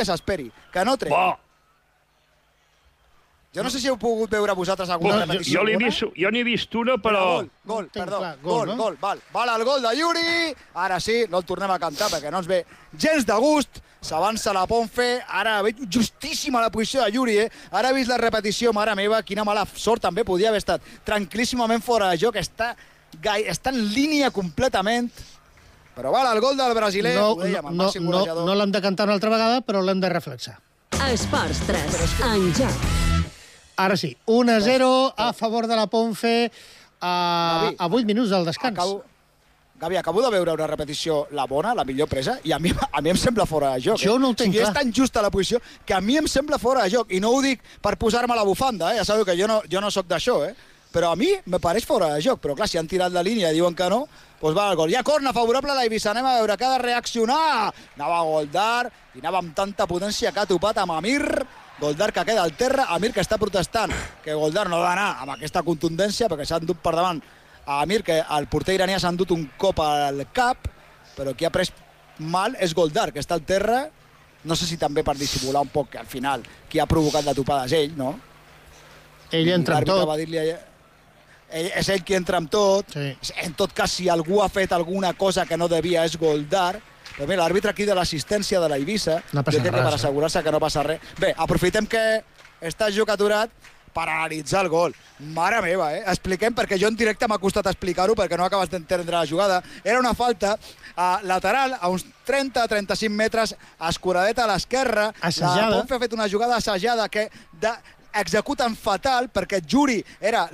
que no treu. Jo no sé si heu pogut veure vosaltres alguna repetició. Jo n'he vist una, però... Gol, no? gol. Val el gol de Yuri. Ara sí, no el tornem a cantar perquè no ens ve gens de gust. S'avança la Ponfe. Ara veig justíssima la posició de Yuri, Ara he vist la repetició, mare meva, quina mala sort també podia haver estat. Tranquil·líssimament fora de joc. Està en línia completament. Però val, el gol del brasiler, ho dèiem, el màxim golejador. No l'hem de cantar una altra vegada, però l'hem de reflexar. Esports 3, en joc. Ara sí, 1-0 a favor de la Ponfe a 8 minuts del descans. Gavi, acabo de veure una repetició, la bona, la millor presa, i a mi em sembla fora de joc. Jo no ho tenc clar. És tan justa la posició que a mi em sembla fora de joc. I no ho dic per posar-me la bufanda, Ja sabeu que jo no sóc d'això, Però a mi me pareix fora de joc. Però clar, si han tirat la línia i diuen que no, doncs va al gol. Hi ha corna favorable a la Eivissa. Anem a veure que ha de reaccionar. Anava a Goldar i anava amb tanta potència que ha topat amb Amir. Goldar que queda al terra, Amir que està protestant que Goldar no ha d'anar amb aquesta contundència perquè s'ha endut per davant a Amir, que el porter iranià s'ha endut un cop al cap, però qui ha pres mal és Goldar, que està al terra. No sé si també per dissimular un poc que al final qui ha provocat la topada és ell, no? Ell entra amb tot. És ell qui entra amb tot. Sí. En tot cas, si algú ha fet alguna cosa que no devia és Goldar. Però mira, l'àrbitre aquí de l'assistència de la Eivissa, no passa res, per assegurar-se que no passa res. Bé, aprofitem que està el joc aturat per analitzar el gol. Mare meva, Expliquem, perquè jo en directe m'ha costat explicar-ho perquè no acabes d'entendre la jugada. Era una falta lateral a uns 30-35 metres, escuradeta a l'esquerra. Assajada. La Ponfe ha fet una jugada assajada que executen fatal perquè Yuri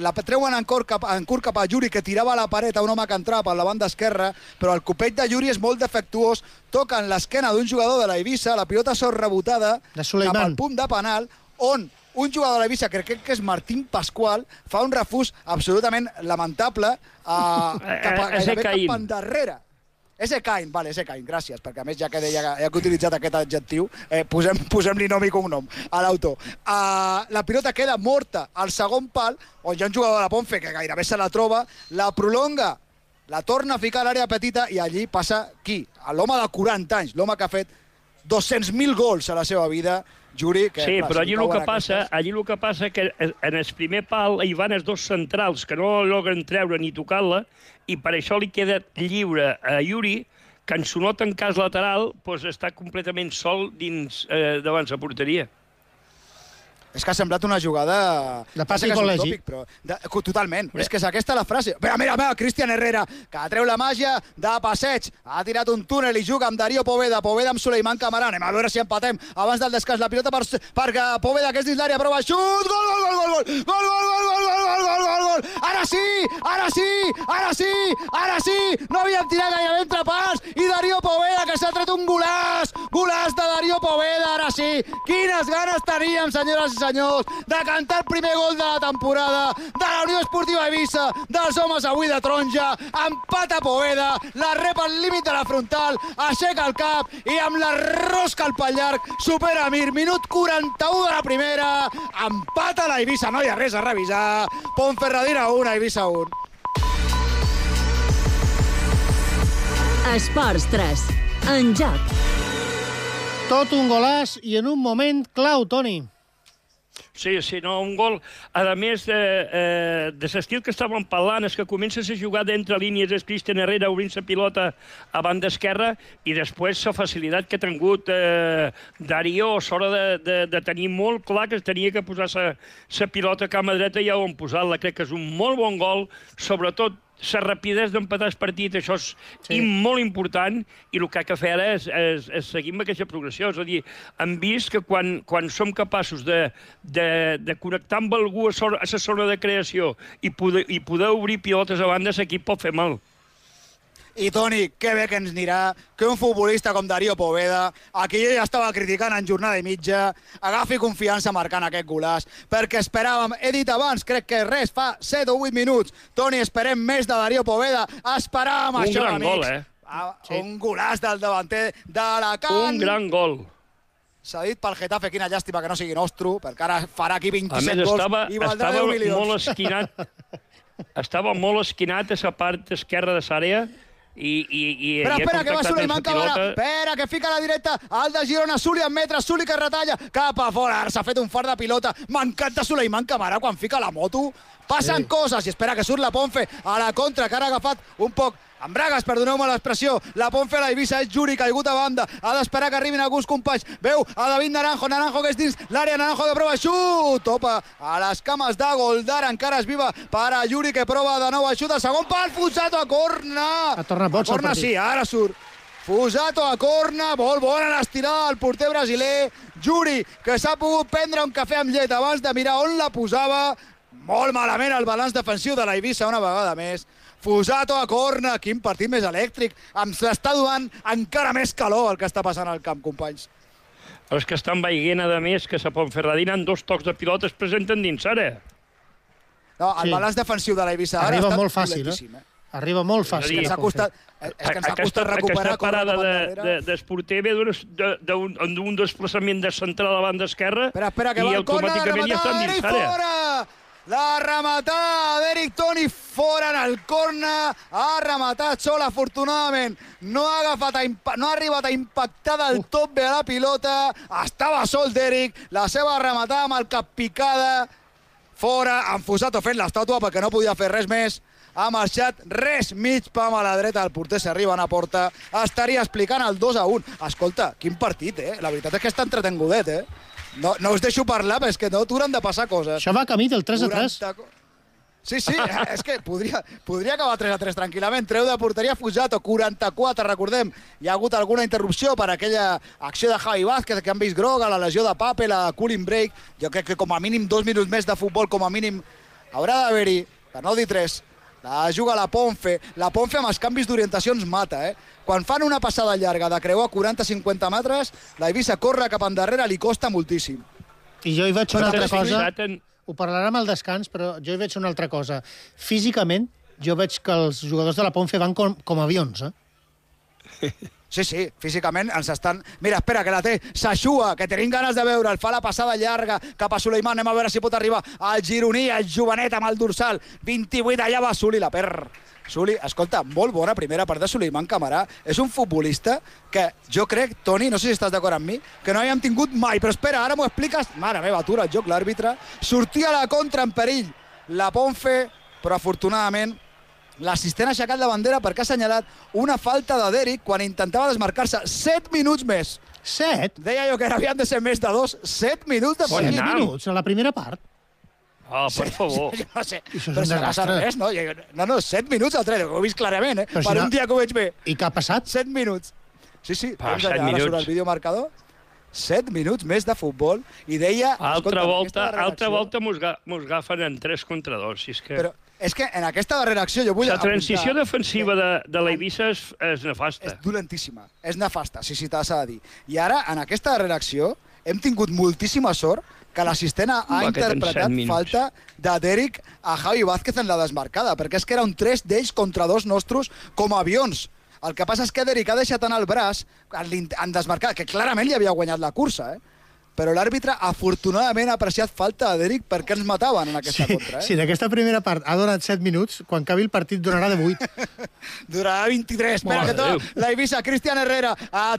la treuen en curt cap a Yuri, que tirava a la paret a un home que entrava per la banda esquerra, però el copet de Yuri és molt defectuós, toca en l'esquena d'un jugador de la Eivissa, la pilota sort rebotada cap al punt de penal, on un jugador de la Eivissa, crec que és Martín Pascual, fa un refús absolutament lamentable cap endarrere. Ese Cain, gràcies, perquè a més ja que he utilitzat aquest adjectiu, posem-li nom i cognom a l'autor. La pilota queda morta al segon pal, on hi ha un jugador de la Ponfe que gairebé se la troba, la prolonga, la torna a ficar a l'àrea petita i allí passa qui? L'home de 40 anys, l'home que ha fet 200.000 gols a la seva vida, Yuri. Sí, però allí el que passa que en el primer pal hi van els dos centrals que no logren treure ni tocar-la i per això li queda lliure a Yuri, que en su no tancàs lateral està completament sol dins davant la porteria. És que ha semblat una jugada... De pas i col·legi. Totalment. És que és aquesta la frase. Mira, Cristian Herrera, que treu la màgia de passeig. Ha tirat un túnel i juga amb Darío Poveda. Poveda amb Suleiman Camarà. Anem a veure si empatem. Abans del descans, la pilota per Poveda, que és dins l'àrea. Prova xut! Gol! Gol! Ara sí! No havíem tirat gairebé entre pas. I Darío Poveda, que s'ha tret un golaç. Golaç de Darío Poveda, ara sí. Quines ganes teníem, senyores i senyors, de cantar el primer gol de la temporada de la Unió Esportiva Eivissa, dels homes avui de taronja. Empata Poveda, la rep al límit de la frontal, aixeca el cap i amb la rosca al pal llarg supera Mir. Minut 41 de la primera, empata la Eivissa, no hi ha res a revisar. Ponferradina 1, Eivissa 1. Esports 3, en joc. Tot un golaç i en un moment clau, Toni. Sí, no, un gol, a més de l'estil que estàvem parlant, és que comences a jugar d'entre línies el Cristian Herrera obrint la pilota a banda esquerra i després la facilitat que ha tingut Darío a l'hora de tenir molt clar que tenia que posar la pilota a cama dreta i on posar-la. Crec que és un molt bon gol, sobretot la rapidesa d'empatar el partit, això és molt important, i el que ha de fer ara és seguir amb aquesta progressió. És a dir, hem vist que quan som capaços de connectar amb algú a la zona de creació i poder obrir pilotes a banda, l'equip pot fer mal. I, Toni, que bé que ens anirà que un futbolista com Darío Poveda, a qui jo ja estava criticant en jornada i mitja, agafi confiança marcant aquest golaç, perquè esperàvem, he dit abans, crec que res, fa 7 o 8 minuts, Toni, esperem més de Darío Poveda, esperàvem això, amics. Un gran gol, Un golaç del davanter d'Alacant. Un gran gol. S'ha dit pel Getafe, quina llàstima que no sigui nostre, perquè ara farà aquí 27 gols i valdrà 10 milions. Estava molt esquinat a la part esquerra de l'àrea Espera, que va Suleiman Camara. Espera, que fica a la directa. El de Girona, Suli en metre, Suli que retalla. Cap a fora, s'ha fet un fart de pilota. M'encanta Suleiman Camara quan fica la moto. Passen coses i espera que surt la Ponfe a la contra, que ara ha agafat un poc amb bragues, perdoneu-me l'expressió. La Ponfe a la Eivissa és Juri, caigut a banda. Ha d'esperar que arribin alguns companys. Veu a David Naranjo que és dins l'àrea, Naranjo que prova xut. Topa a les cames de Goldar, encara és viva per a Juri, que prova de nou a xut. El segon pal, Fusato a corna. Ha tornat boig el partit. Sí, ara surt. Fusato a corna, molt bona l'estirada del porter brasiler. Juri, que s'ha pogut prendre un cafè amb llet abans de mirar on la posava. Molt malament el balanç defensiu de la Eivissa una vegada més. Fusato a corna, quin partit més elèctric. Em s'està donant encara més calor el que està passant al camp, companys. Els que estan veient, a més, que la Ponferradina en 2 tocs de pilota es presenten dins ara. No, el balanç defensiv de la Eivissa ara arriba ha estat molt fàcil, Arriba molt fàcil. És que ens ha costat recuperar. Aquesta parada d'Esporter ve d'un desplaçament de central a la banda esquerra i automàticament ja estan dins ara. La rematada d'Eric Toni fora en el corna. Ha rematat sol, afortunadament. No ha arribat a impactar del top bé a la pilota. Estava sol d'Eric. La seva rematada amb el cap picada. Fora, en Fusato fent l'estàtua perquè no podia fer res més. Ha marxat res, mig pam a la dreta. El porter s'arriba a porta. Estaria explicant el 2-1. Escolta, quin partit, La veritat és que està entretengudet, No us deixo parlar, però és que no t'hauran de passar coses. Això va camí del 3-3. Sí, és que podria acabar 3-3 tranquil·lament. Treu de porteria Fusato, 44, recordem. Hi ha hagut alguna interrupció per aquella acció de Javi Vázquez, que han vist groga, la lesió de Pape, la cooling break. Jo crec que com a mínim 2 minuts més de futbol, com a mínim haurà d'haver-hi, per no dir 3. La juga la Ponfe amb els canvis d'orientació ens mata, Quan fan una passada llarga de creuar 40-50 metres, la Eivissa corre cap endarrere, li costa moltíssim. I jo hi veig una altra cosa, ho parlarem al descans, però jo hi veig una altra cosa. Físicament, jo veig que els jugadors de la Ponfe van com avions, Sí, físicament ens estan... Mira, espera, que la té Saxua, que tenim ganes de veure. El fa la passada llarga cap a Suleiman. Anem a veure si pot arribar al gironí, el jovenet amb el dorsal. 28, allà va Suli, la per... Suli, escolta, molt bona primera part de Suleiman Camarà. És un futbolista que jo crec, Toni, no sé si estàs d'acord amb mi, que no havíem tingut mai. Però espera, ara m'ho expliques. Mare meva, atura el joc l'àrbitre. Sortia a la contra en perill la Ponfe, però afortunadament l'assistent ha aixecat la bandera perquè ha assenyalat una falta de Derek quan intentava desmarcar-se 7 minuts més. 7? Deia jo que havien de ser més de 2. 7 minuts de perill. 7 minuts a la primera part? Per favor. No sé, això és un desastre. Res, no, 7 minuts al tren, ho he vist clarament, per un dia que ho veig bé. I què ha passat? 7 minuts. Sí, 7 ara minuts. surt el videomarcador. 7 minuts més de futbol i deia... Altra volta mos agafen en 3 contra 2. Si és que... Però és que en aquesta darrera acció jo vull... La transició defensiva de l'Eivissa és nefasta. És dolentíssima, és nefasta, sí, t'has de dir. I ara, en aquesta darrera acció, hem tingut moltíssima sort que l'assistent ha interpretat falta de Derek a Javi Vázquez en la desmarcada, perquè és que era un 3 d'ells contra 2 nostres com a avions. El que passa és que Derek ha deixat anar el braç en desmarcada, que clarament li havia guanyat la cursa, però l'àrbitre afortunadament ha apreciat falta de Derek perquè ens mataven en aquesta contra. Si en aquesta primera part ha donat 7 minuts, quan acabi el partit donarà de 8. Durarà 23. Espera que tot. La Eivissa, Cristian Herrera,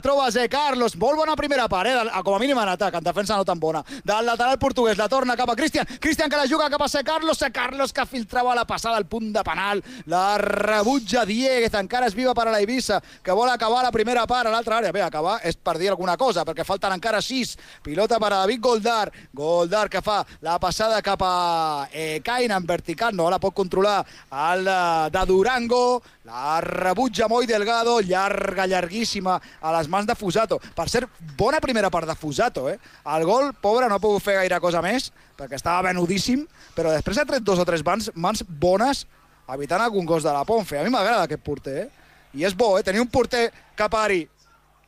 troba Zé Carlos. Molt bona primera part, com a mínim en atac, en defensa no tan bona. Del lateral portuguès, la torna cap a Cristian. Cristian que la juga cap a Zé Carlos. Zé Carlos que filtrava la passada al punt de penal. La rebutja Dieguez, encara és viva per a la Eivissa, que vol acabar la primera part a l'altra àrea. Bé, acabar és per dir alguna cosa, perquè falten encara 6. Pilota per a David Goldar. Goldar que fa la passada cap a Caina en vertical, no la pot controlar el de Durango. La rebutja Moi Delgado, llarguíssima a les mans de Fusato. Per cert, bona primera part de Fusato, El gol, pobre, no ha pogut fer gaire cosa més, perquè estava venudíssim, però després ha tret 2 o 3 mans bones evitant algun gos de la Ponfe. A mi m'agrada aquest porter, I és bo, tenir un porter que pari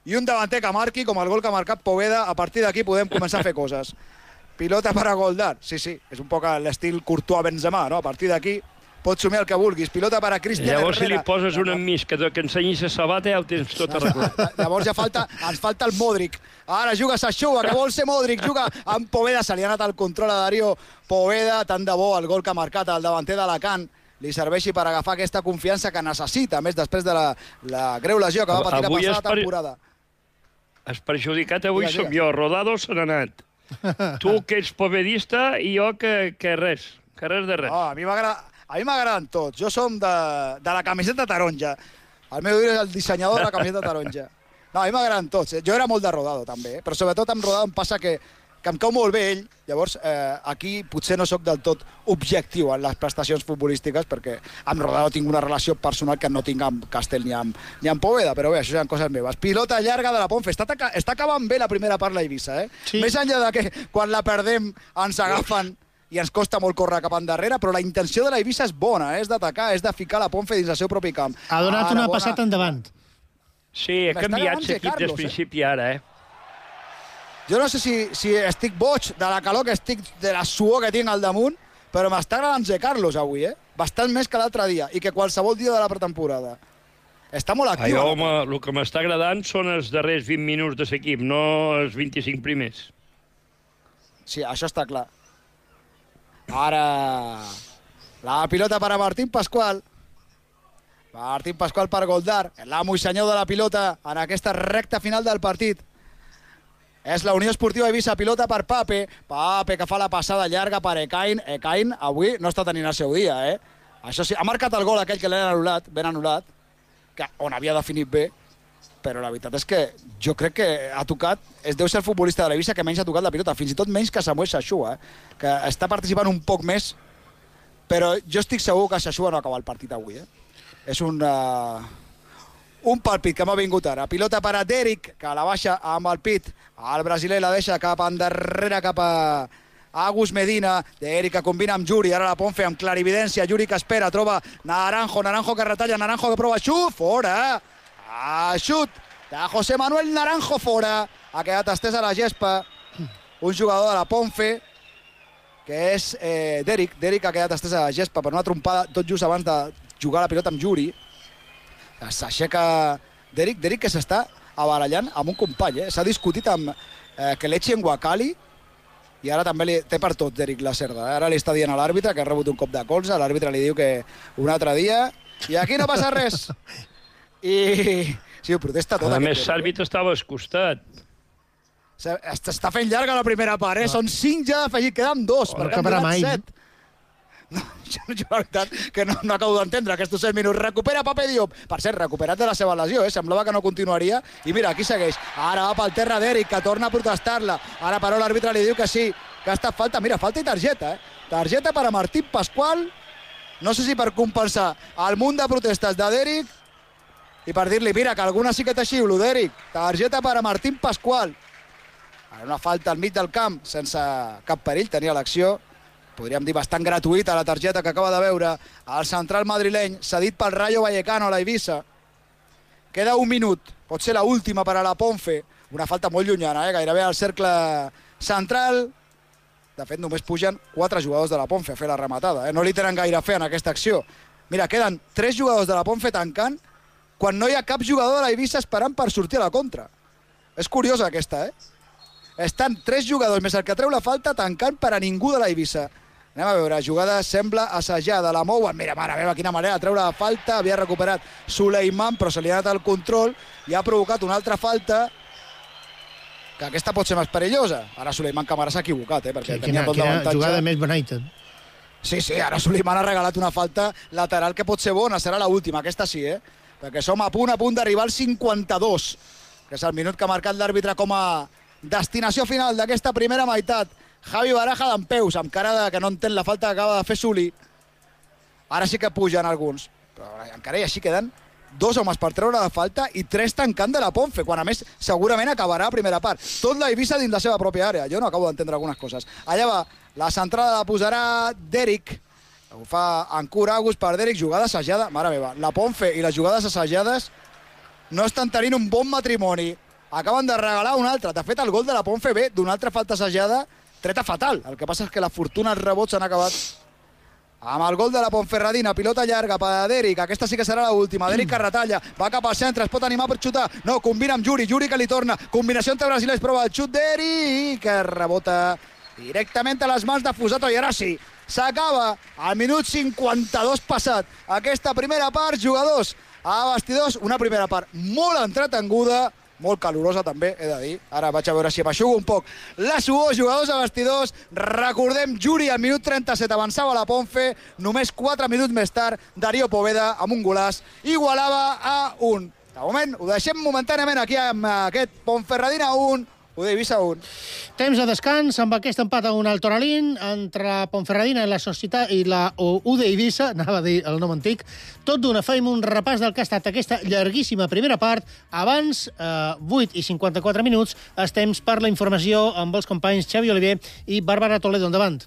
i un davanter que marqui, com el gol que ha marcat Poveda. A partir d'aquí podem començar a fer coses. Pilota per a Goldar. Sí, és un poc l'estil Courtois-Benzema, no? A partir d'aquí pots somiar el que vulguis. Pilota per a Cristian Herrera. Llavors, si li poses un enmig que ensenyis a sabata, ja ho tens tot arreglat. Llavors ens falta el Modric. Ara juga Saxua, que vol ser Modric. Juga amb Poveda. Se li ha anat el control a Darío Poveda. Tant de bo el gol que ha marcat el davanter d'Alacant, li serveixi per agafar aquesta confiança que necessita, a més després de la greu lesió que va patir la passada temporada. Els perjudicat avui som jo. Rodado se n'ha anat. Tu, que ets povedista, i jo que res. Que res de res. A mi m'agraden tots. Jo som de la camiseta taronja. El meu és el dissenyador de la camiseta taronja. No, a mi m'agraden tots. Jo era molt de Rodado, també. Però sobretot amb Rodado em passa que em cau molt bé ell. Llavors, aquí potser no sóc del tot objectiu en les prestacions futbolístiques, perquè amb Rodado tinc una relació personal que no tinc amb Castel ni amb Poveda, però bé, això són coses meves. Pilota llarga de la Ponfe. Està acabant bé la primera part la Eivissa, Sí. Més enllà de que quan la perdem ens agafen i ens costa molt córrer cap endarrere, però la intenció de la Eivissa és bona, és d'atacar, és de ficar la Ponfe dins el seu propi camp. Ha donat una passada endavant. Sí, ha canviat l'equip des principi ara, Jo no sé si estic boig de la calor que estic, de la suor que tinc al damunt, però m'està agradant Zé Carlos avui, Bastant més que l'altre dia, i que qualsevol dia de la pretemporada. Està molt actiu. El que m'està agradant són els darrers 20 minuts de l'equip, no els 25 primers. Sí, això està clar. Ara, la pilota per a Martín Pascual. Martín Pascual per Goldar, l'amo i senyor de la pilota en aquesta recta final del partit. És la Unió Esportiva Eivissa, pilota per Pape. Pape que fa la passada llarga per Ekain. Ekain avui no està tenint el seu dia, Això sí, ha marcat el gol aquell que l'han anul·lat, ben anul·lat, on havia definit bé, però la veritat és que jo crec que ha tocat, deu ser el futbolista de l'Eivissa que menys ha tocat la pilota, fins i tot menys que Samuel Sachua, que està participant un poc més, però jo estic segur que Sachua no acaba el partit avui, És un pàlpit que m'ha vingut ara. Pilota per a Derek, que la baixa amb el pit. El brasiler la deixa cap endarrere, cap a Agus Medina. Derek que combina amb Yuri. Ara la Ponfe amb clarividència. Yuri que espera, troba Naranjo. Naranjo que retalla, Naranjo que prova xut. Fora! Xut de José Manuel Naranjo, fora. Ha quedat estès a la gespa. Un jugador de la Ponfe, que és Derek. Derek ha quedat estès a la gespa per una trompada tot just abans de jugar la pilota amb Yuri. S'aixeca Derek que s'està abarallant amb un company, S'ha discutit amb Kelechi Nwakali i ara també té per tot Derek la Cerda. Ara li està dient a l'àrbitre que ha rebut un cop de colze, l'àrbitre li diu que un altre dia i aquí no passa res. I sí, ho protesta tot. A més, l'àrbitre estava al costat. Està fent llarga la primera part, Són 5 ja d'afegit, queden 2, perquè han donat 7. No, jo la veritat que no acabo d'entendre aquests 7 minuts. Recupera Pape Diop. Per cert, recuperat de la seva lesió, Semblava que no continuaria. I mira, aquí segueix. Ara va pel terra d'Eric, que torna a protestar-la. Ara, però, l'àrbitre li diu que sí, que ha estat falta. Mira, falta i targeta, Targeta per a Martín Pascual. No sé si per compensar el munt de protestes de Derek i per dir-li, mira, que alguna sí que te xiulo, Derek. Targeta per a Martín Pascual. Ara una falta al mig del camp, sense cap perill, tenia l'acció. Podríem dir bastant gratuïta la targeta que acaba de veure el central madrileny, cedit pel Rayo Vallecano a la Eivissa. Queda un minut, pot ser l'última per a la Ponfe. Una falta molt llunyana, gairebé al cercle central. De fet, només pugen 4 jugadors de la Ponfe a fer la rematada. No li tenen gaire fe en aquesta acció. Mira, queden 3 jugadors de la Ponfe tancant quan no hi ha cap jugador de la Eivissa esperant per sortir a la contra. És curiosa aquesta, Estan 3 jugadors més el que treu la falta tancant per a ningú de la Eivissa. Anem a veure, jugada sembla assajada, la mouen, mira, mare meva, quina manera de treure la falta, havia recuperat Suleiman, però se li ha anat el control i ha provocat una altra falta, que aquesta pot ser més perillosa. Ara Suleiman Camara s'ha equivocat, perquè tenia tot l'avantatge. Quina jugada més bonita. Sí, ara Suleiman ha regalat una falta lateral que pot ser bona, serà l'última, aquesta sí, perquè som a punt d'arribar al 52, que és el minut que ha marcat l'àrbitre com a destinació final d'aquesta primera meitat. Javi Baraja d'empeus, amb cara que no entén la falta que acaba de fer Suli. Ara sí que pugen alguns. Però encara i així queden 2 homes per treure la falta i 3 tancant de la Ponfe, quan a més segurament acabarà a primera part. Tot la Eivissa dins la seva pròpia àrea. Jo no acabo d'entendre algunes coses. Allà va, la centrada la posarà Derek. Ho fa Ancur Agus per Derek, jugada assajada. Mare meva, la Ponfe i les jugades assajades no estan tenint un bon matrimoni. Acaben de regalar un altre. De fet, el gol de la Ponfe ve d'una altra falta assajada treta fatal. El que passa és que la fortuna els rebots s'han acabat amb el gol de la Ponferradina. Pilota llarga per a Derek. Aquesta sí que serà l'última. Derek que retalla. Va cap al centre. Es pot animar per xutar. No, combina amb Yuri. Yuri que li torna. Combinació entre brasilers. Prova el xut. Derek que rebota directament a les mans de Fusato, i ara sí, s'acaba al minut 52 passat aquesta primera part, jugadors a vestidors, una primera part molt entretenguda, molt calorosa també, he de dir. Ara vaig a veure si m'aixugo un poc la suor, jugadors a vestidors. Recordem, Juri al minut 37 avançava la Ponfe, només 4 minuts més tard Darío Poveda amb un golaç igualava a 1. De moment ho deixem momentàniament aquí amb aquest Ponferradina 1, UD Eivissa 1. Temps de descans amb aquest empat a 1 al Toralín entre Ponferradina i la Societat i la UD Eivissa, anava a dir el nom antic. Tot d'una fem un repàs del que ha estat aquesta llarguíssima primera part. Abans, 8 i 54 minuts, és temps per la informació amb els companys Xavi Oliver i Bàrbara Toledo. Endavant.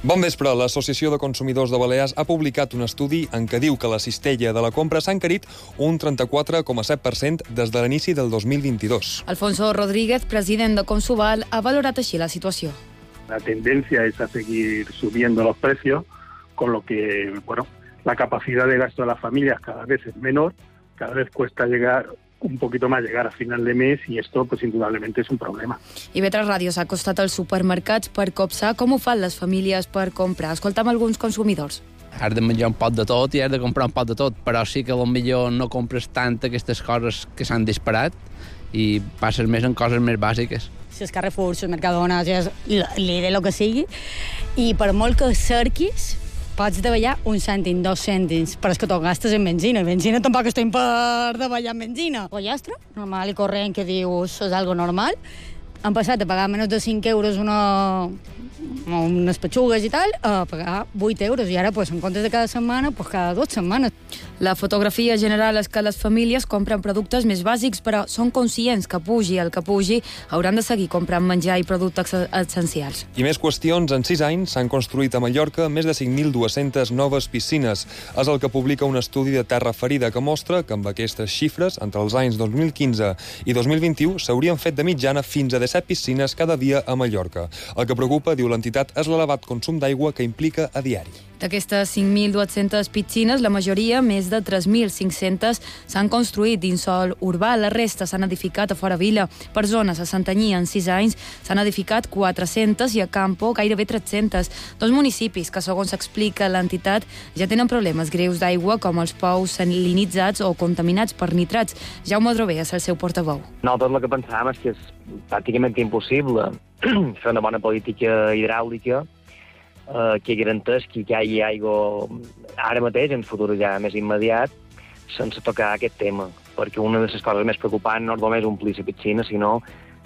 Bon vespre. L'Associació de Consumidors de Balears ha publicat un estudi en què diu que la cistella de la compra s'ha encarit un 34,7% des de l'inici del 2022. Alfonso Rodríguez, president de Consubal, ha valorat així la situació. La tendencia es a seguir subiendo los precios, con lo que, bueno, la capacidad de gasto de las familias cada vez es menor, cada vez cuesta llegar un poquito más llegar a final de mes y esto pues indudablemente es un problema. IB3 Ràdio s'ha acostat als supermercats per copsar com ho fan les famílies per comprar. Escoltam alguns consumidors. Has de menjar un pot de tot i has de comprar un pot de tot, però sí que potser no compres tant aquestes coses que s'han disparat i passes més en coses més bàsiques. Si és Carrefour, si és Mercadona, si és Lidl, el que sigui, i per molt que cerquis, pots davallar un cèntim, 2 cèntims, però és que tot gastes en benzina. Benzina tampoc estem per davallar en benzina. Pollastre, normal i corrent, que dius, és algo normal. Han passat de pagar menys de 5 euros unes petxugues i tal, a pagar 8 euros. I ara, en comptes de cada setmana, cada 2 setmanes. La fotografia general és que les famílies compren productes més bàsics, però són conscients que pugi el que pugi, hauran de seguir comprant menjar i productes essencials. I més qüestions. En 6 anys s'han construït a Mallorca més de 5.200 noves piscines. És el que publica un estudi de Terra Ferida que mostra que amb aquestes xifres, entre els anys 2015 i 2021, s'haurien fet de mitjana fins a 17 piscines cada dia a Mallorca. El que preocupa, diu l'entitat, és l'elevat consum d'aigua que implica a diari. D'aquestes 5.200 piscines, la majoria, més de 3.500, s'han construït dins sòl urbà. La resta s'han edificat a fora vila. Per zones a Santanyí, en 6 anys, s'han edificat 400 i a Campo gairebé 300. Dos municipis que, segons explica l'entitat, ja tenen problemes greus d'aigua, com els pous salinitzats o contaminats per nitrats. Jaume Drover és el seu portaveu. Nosaltres el que pensàvem és que és pràcticament impossible fer una bona política hidràulica que garanteix que hi hagi aigua ara mateix, en futur ja més immediat, sense tocar aquest tema. Perquè una de les coses més preocupants no és només omplir la piscina, sinó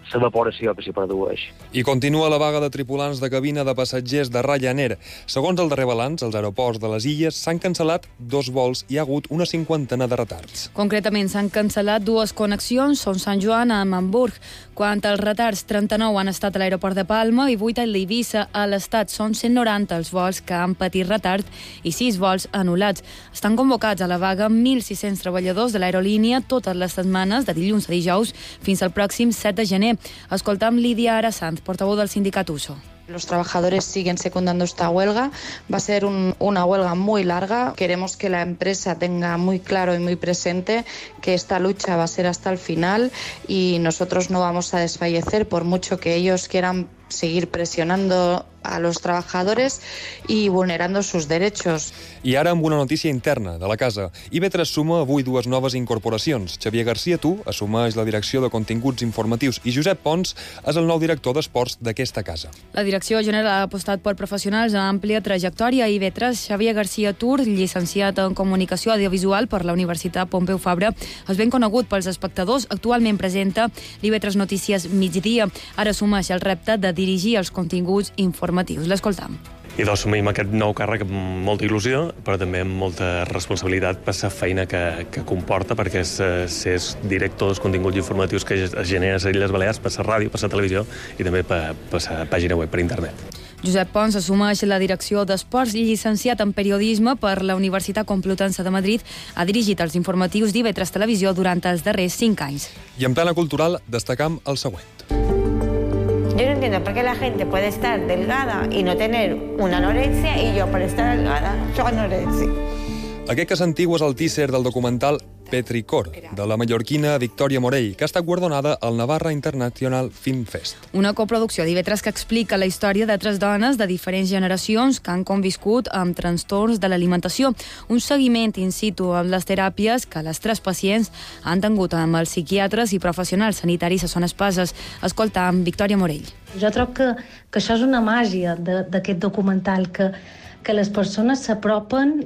l'evaporació que s'hi produeix. I continua la vaga de tripulants de cabina de passatgers de Ryanair. Segons el darrer balanç, als aeroports de les Illes s'han cancel·lat 2 vols i hi ha hagut una 50 de retards. Concretament, s'han cancel·lat 2 connexions, són Sant Joan a Hamburg. Quant als retards, 39 han estat a l'aeroport de Palma i 8 a l'Eivissa. A l'Estat són 190 els vols que han patit retard i 6 vols anul·lats. Estan convocats a la vaga 1.600 treballadors de l'aerolínia totes les setmanes, de dilluns a dijous, fins al pròxim 7 de gener. Escoltam Lídia Arasanz, portavoz del sindicat USO. Los trabajadores siguen secundando esta huelga. Va a ser una huelga muy larga. Queremos que la empresa tenga muy claro y muy presente que esta lucha va a ser hasta el final y nosotros no vamos a desfallecer por mucho que ellos quieran seguir presionando a los trabajadores y vulnerando sus derechos. I ara amb una notícia interna de la casa. IB3 suma avui 2 noves incorporacions. Xavier García Tu assumeix la direcció de continguts informatius i Josep Pons és el nou director d'esports d'aquesta casa. La direcció general ha apostat per professionals amb àmplia trajectòria. IB3, Xavier García Tur, llicenciat en comunicació audiovisual per la Universitat Pompeu Fabra, és ben conegut pels espectadors. Actualment presenta l'IB3 Notícies Migdia. Ara assumeix el repte de dirigir els continguts informatius. L'escoltam. I assumim aquest nou càrrec amb molta il·lusió, però també amb molta responsabilitat per la feina que comporta, perquè ser director dels continguts informatius que es genera a les Illes Balears per la ràdio, per la televisió i també per la pàgina web, per internet. Josep Pons assumeix la direcció d'esports i llicenciat en periodisme per la Universitat Complutense de Madrid. Ha dirigit els informatius d'IV3 Televisió durant els darrers 5 anys. I en plana cultural destacam el següent. Yo no entiendo por qué la gente puede estar delgada y no tener una anorexia y yo por estar delgada soy anorexia. Aquest que sentiu és el teaser del documental Petricor, de la mallorquina Victòria Morell, que ha estat guardonada al Navarra International Film Fest. Una coproducció d'IV3 que explica la història de 3 dones de diferents generacions que han conviscut amb trastorns de l'alimentació. Un seguiment in situ amb les teràpies que les 3 pacients han tingut amb els psiquiatres i professionals sanitaris a Son Espases. Escolta amb Victòria Morell. Jo trobo que això és una màgia d'aquest documental, que les persones s'apropen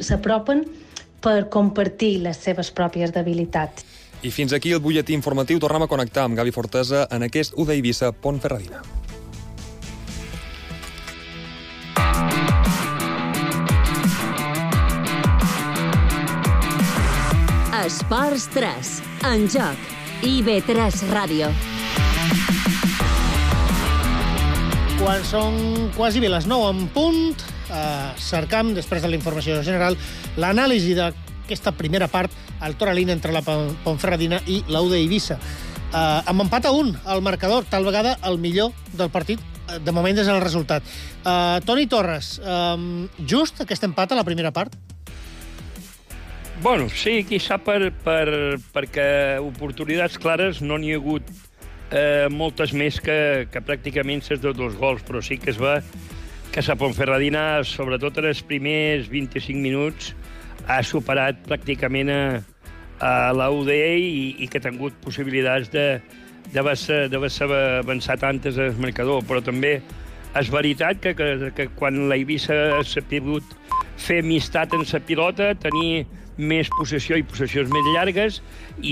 per compartir les seves pròpies debilitats. I fins aquí el butlletí informatiu. Tornem a connectar amb Gavi Fortesa en aquest UD Eivissa Pontferradina. Esports 3, en joc, IB3 Ràdio. Quan són quasi bé les 9 en punt, cercam, després de la informació general, l'anàlisi d'aquesta primera part al Toralín entre la Pontferradina i l'UD Eivissa. Amb empat a 1 al marcador, tal vegada el millor del partit, de moment és el resultat. Toni Torres, just aquest empat a la primera part? Bueno, sí, quizà perquè oportunitats clares no n'hi ha hagut moltes més que pràcticament ses de 2 gols, però sí que es va que la Pontferradina, sobretot en els primers 25 minuts, ha superat pràcticament a la UD i que ha tingut possibilitats d'haver avançat antes al marcador. Però també és veritat que quan l'Eivissa s'ha pogut fer amistat en la pilota, tenir més possessió i possessions més llargues, i